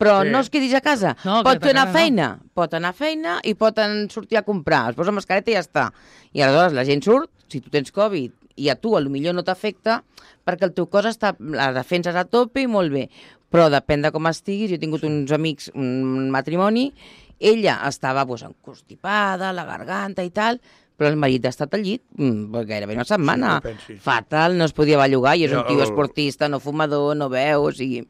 Però Sí. no es quedis a casa. No, pot queda't a anar a casa, no. feina, pot anar a feina i pot en sortir a comprar. Es posa mascareta i ja està. I aleshores la gent surt, si tu tens Covid i a tu potser no t'afecta, perquè el teu cos està, la defensa és a tope i molt bé. Però depèn de com estiguis. Jo he tingut uns amics, un matrimoni, ella estava pues, encostipada, la garganta i tal, però el marit ha estat al llit mm, gairebé una setmana. Sí, que pensis. Fatal, no es podia bellugar, i és Ja, un tio el- esportista, no fumador, no veu, o sigui...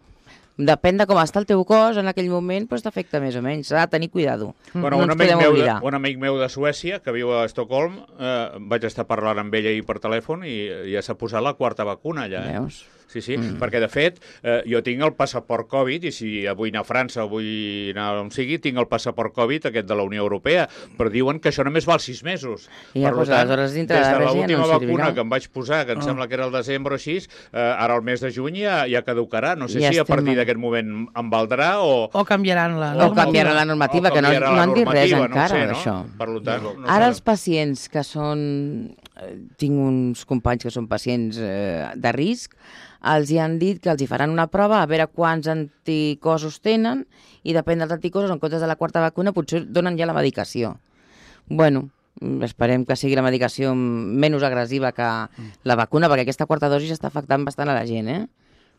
Depèn de com està el teu cos en aquell moment, doncs t'afecta més o menys. S'ha de tenir cuidado. Bueno, no un, ens amic podem meu de, oblidar. un amic meu de Suècia, que viu a Estocolm, eh, vaig estar parlant amb ella ahir per telèfon i ja s'ha posat la quarta vacuna allà. Eh? Veus? Sí, sí, mm. perquè de fet eh, jo tinc el passaport Covid i si vull anar a França o vull anar on sigui, tinc el passaport Covid aquest de la Unió Europea, però diuen que això només val sis mesos. I ja, Per doncs, tant, aleshores dintre des de de res ja no l'última en vacuna servirà. que em vaig posar, que em Ah. sembla que era el desembre o així, eh, ara el mes de juny ja, ja caducarà. No sé Ja si a estem partir a- d'aquest moment em valdrà o... O canviaran la O canviarà la normativa, o que no, canviarà no la han dit res normativa, encara, no ho sé, d'això. no? Per tant, no, no Ara sé. els pacients que són... eh, Tinc uns companys que són pacients eh, de risc, els hi han dit que els hi faran una prova a veure quants anticossos tenen i depèn dels anticossos, en comptes de la quarta vacuna, potser donen ja la medicació. Bueno, mm, esperem que sigui la medicació menys agressiva que la vacuna, perquè aquesta quarta dosi està afectant bastant a la gent, eh?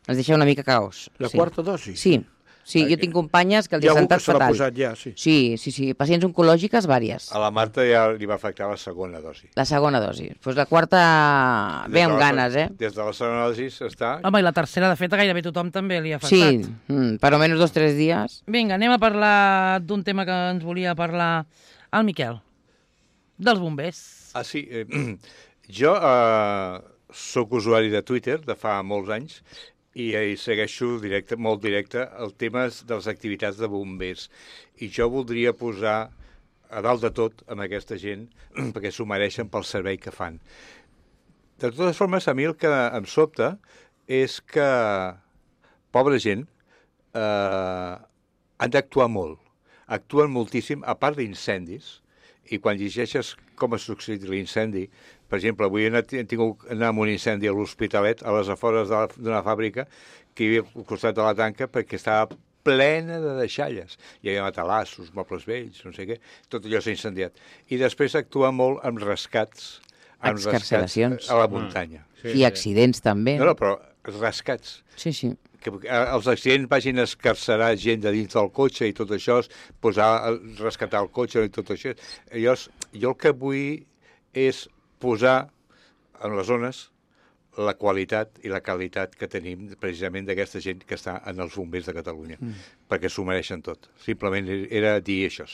Els deixa una mica caos. La sí. quarta dosi? Sí, sí, jo tinc companyes que els Hi hi ha ha algú que sentat se l'ha fatal. posat ja, sí. Sí, sí, sí, pacients oncològiques vàries. A la Marta ja li va afectar la segona dosi. La segona dosi. Doncs pues la quarta ve Des de amb la- ganes, eh? Des de la segona dosi està... Home, i la tercera, de fet, a gairebé tothom també li ha Sí, afectat. mm, per almenys dos o tres dies. Vinga, anem a parlar d'un tema que ens volia parlar el Miquel, dels bombers. Ah, sí. Eh, jo eh, sóc usuari de Twitter de fa molts anys i eh, segueixo directe, molt directe el tema de les activitats de bombers. I jo voldria posar a dalt de tot amb aquesta gent, perquè s'ho mereixen pel servei que fan. De totes formes, a mi el que em sobta és que, pobra gent, eh, han d'actuar molt. Actuen moltíssim, a part d'incendis, i quan llegeixes com ha succeït l'incendi, per exemple, avui he tingut anar amb un incendi a l'Hospitalet, a les afores d'una fàbrica, que hi havia al costat de la tanca, perquè estava plena de deixalles. Hi havia matalassos, mobles vells, no sé què, tot allò s'ha incendiat. I després actua molt amb rescats, amb rescats a la muntanya. Mm. Sí, I accidents sí. també. No, no, però rescats. Sí, sí. Que els accidents vagin a escarcerar gent de dins del cotxe i tot això, posar, rescatar el cotxe i tot això. Jo, jo el que vull és posar en les zones la qualitat i la qualitat que tenim precisament d'aquesta gent que està en els bombers de Catalunya, mm. perquè s'ho mereixen tot. Simplement era dir això.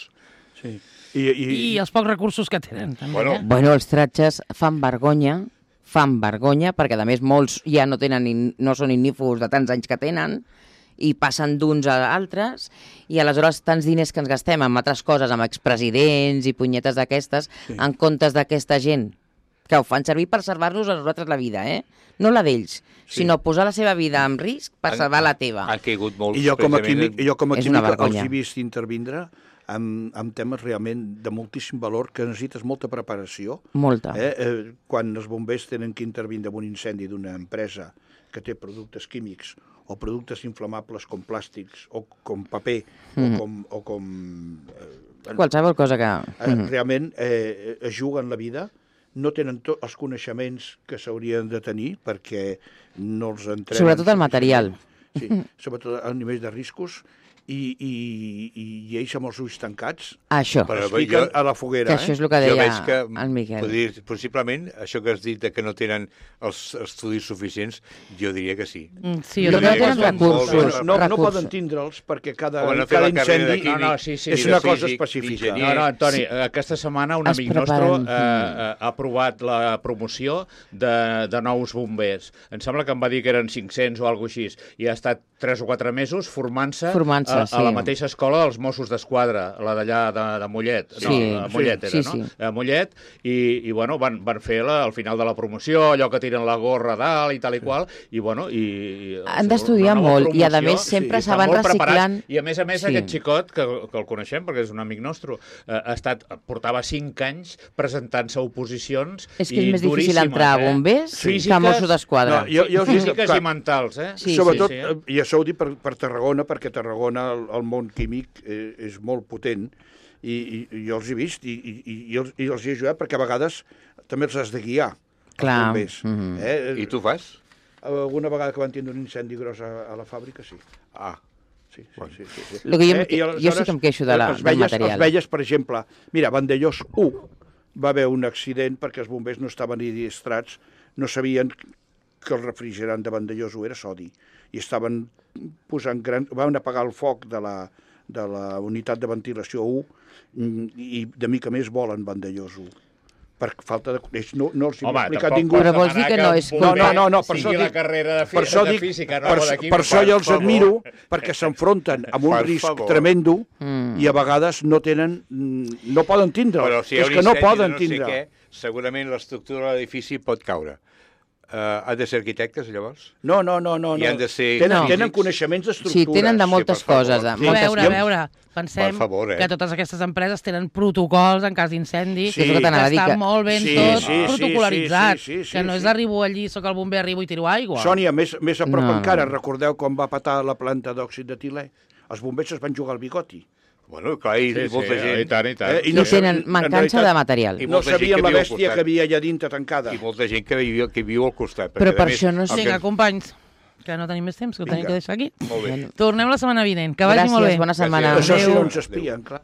Sí. I, i... I els pocs recursos que tenen, també. Bueno, eh? bueno els tratges fan vergonya, fan vergonya, perquè a més molts ja no tenen ni, no són ignífugos de tants anys que tenen, i passen d'uns a altres, i aleshores tants diners que ens gastem amb altres coses, amb expresidents i punyetes d'aquestes, sí. en comptes d'aquesta gent que ho fan servir per salvar-nos a nosaltres la vida, eh? No la d'ells, sí. sinó posar la seva vida en risc per han, salvar la teva. Han caigut molts. I jo com a químic, jo com a químic els he vist intervindre amb, amb temes realment de moltíssim valor, que necessites molta preparació. Molta. Eh? Eh, quan els bombers tenen que intervindre en un incendi d'una empresa que té productes químics o productes inflamables com plàstics o com paper mm. o com... O com eh, qualsevol cosa que... Eh, realment eh, es juguen la vida, no tenen tots els coneixements que s'haurien de tenir perquè no els entrenen. Sobretot el material. Sí, sobretot a nivell de riscos. I, i, i ells amb els ulls tancats això. es fiquen a la foguera. Que això és el que deia que, el Miquel. Dir, possiblement, això que has dit de que no tenen els estudis suficients, jo diria que sí. Mm, sí, jo, jo diria que tenen recursos. No, no, recursos. no poden tindre'ls perquè cada, no cada incendi químic, no, no, sí, sí, és una cosa físic, específica. No, no, Antoni, sí. aquesta setmana un es amic nostre eh, eh, ha aprovat la promoció de, de nous bombers. Em sembla que em va dir que eren cinc-cents o alguna cosa així, i ha estat tres o quatre mesos formant-se formant a, sí. a la mateixa escola dels Mossos d'Esquadra, la d'allà de, de Mollet. Sí, no, a Mollet sí, era, sí, no? sí. A Mollet, i, i bueno, van, van fer la, al final de la promoció, allò que tiren la gorra a dalt i tal i qual, i bueno, i... i han d'estudiar molt, i a més sempre sí, se van reciclant. Preparats. I a més a més sí. aquest xicot, que, que el coneixem, perquè és un amic nostre, eh, ha estat, portava cinc anys presentant-se a oposicions. És que és més difícil entrar a bombers eh? que a Mossos d'Esquadra. No, jo, jo físiques i mentals, eh? Sí, sobretot, sí, sí. i això ho dic per, per Tarragona, perquè Tarragona, el, el món químic, eh, és molt potent, i, i, i jo els he vist, i, i, i, els, i els he ajudat, perquè a vegades també els has de guiar, clar. els bombers. Mm-hmm. eh? I tu fas? Alguna vegada que van tindre un incendi gros a, a la fàbrica, sí. Ah. Sí, sí, sí, sí, sí. Lo que jo, eh, jo sí que em queixo de la, els del veies, material. Els veies, per exemple, mira, Vandellós u va haver un accident perquè els bombers no estaven idiostrats, no sabien que el refrigerant de Vandellós u era sodi, i estaven posant gran... van apagar el foc de la, de la unitat de ventilació u i de mica més volen Vandellós u. Per falta de... No, no els hi Home, he explicat tampoc ningú. Però vols dir que no és No, no, no, no, per sigui això la dic... carrera de, Per això de dic, física, no per, de química. per això jo els favor. admiro, perquè s'enfronten amb un Per risc favor. tremendo Mm. i a vegades no tenen... No poden tindre. Però si hi ha és un que no incendi de poden no sé tindre. què, segurament l'estructura de l'edifici pot caure. Uh, han de ser arquitectes, llavors? No, no, no, no. I han de ser Tenen, físics? tenen coneixements d'estructures. Sí, tenen de moltes Sí, per favor. coses. De, A moltes veure, a coses. veure, pensem Per favor, eh? que totes aquestes empreses tenen protocols en cas d'incendi, Sí. que És el que t'anava a dir, està que- molt ben Sí, tot sí, sí, protocolaritzat, sí, sí, sí, que no sí, és sí. arribo allí, sóc el bomber, arribo i tiro aigua. Sònia, més, més a prop No, encara, no. recordeu quan va patar la planta d'òxid d'etilè? Els bombers es van jugar al bigoti. Bueno, clar, i Sí, sí, molta gent... i tant, i tant. Eh, I no tenen sé, en mancança realitat, de material. I No molta gent sabien que la viu al bèstia costat. que havia allà dintre tancada. I molta gent que viu, que viu al costat. Però perquè, per a més, això no és- el que- Vinga, companys, que no tenim més temps, que ho tenim Vinga. que deixar aquí. Molt bé. Tornem la setmana vinent. Que vagi Gràcies, molt bé. bona setmana. Gràcies. Això sí, Adéu. no ens espien, clar.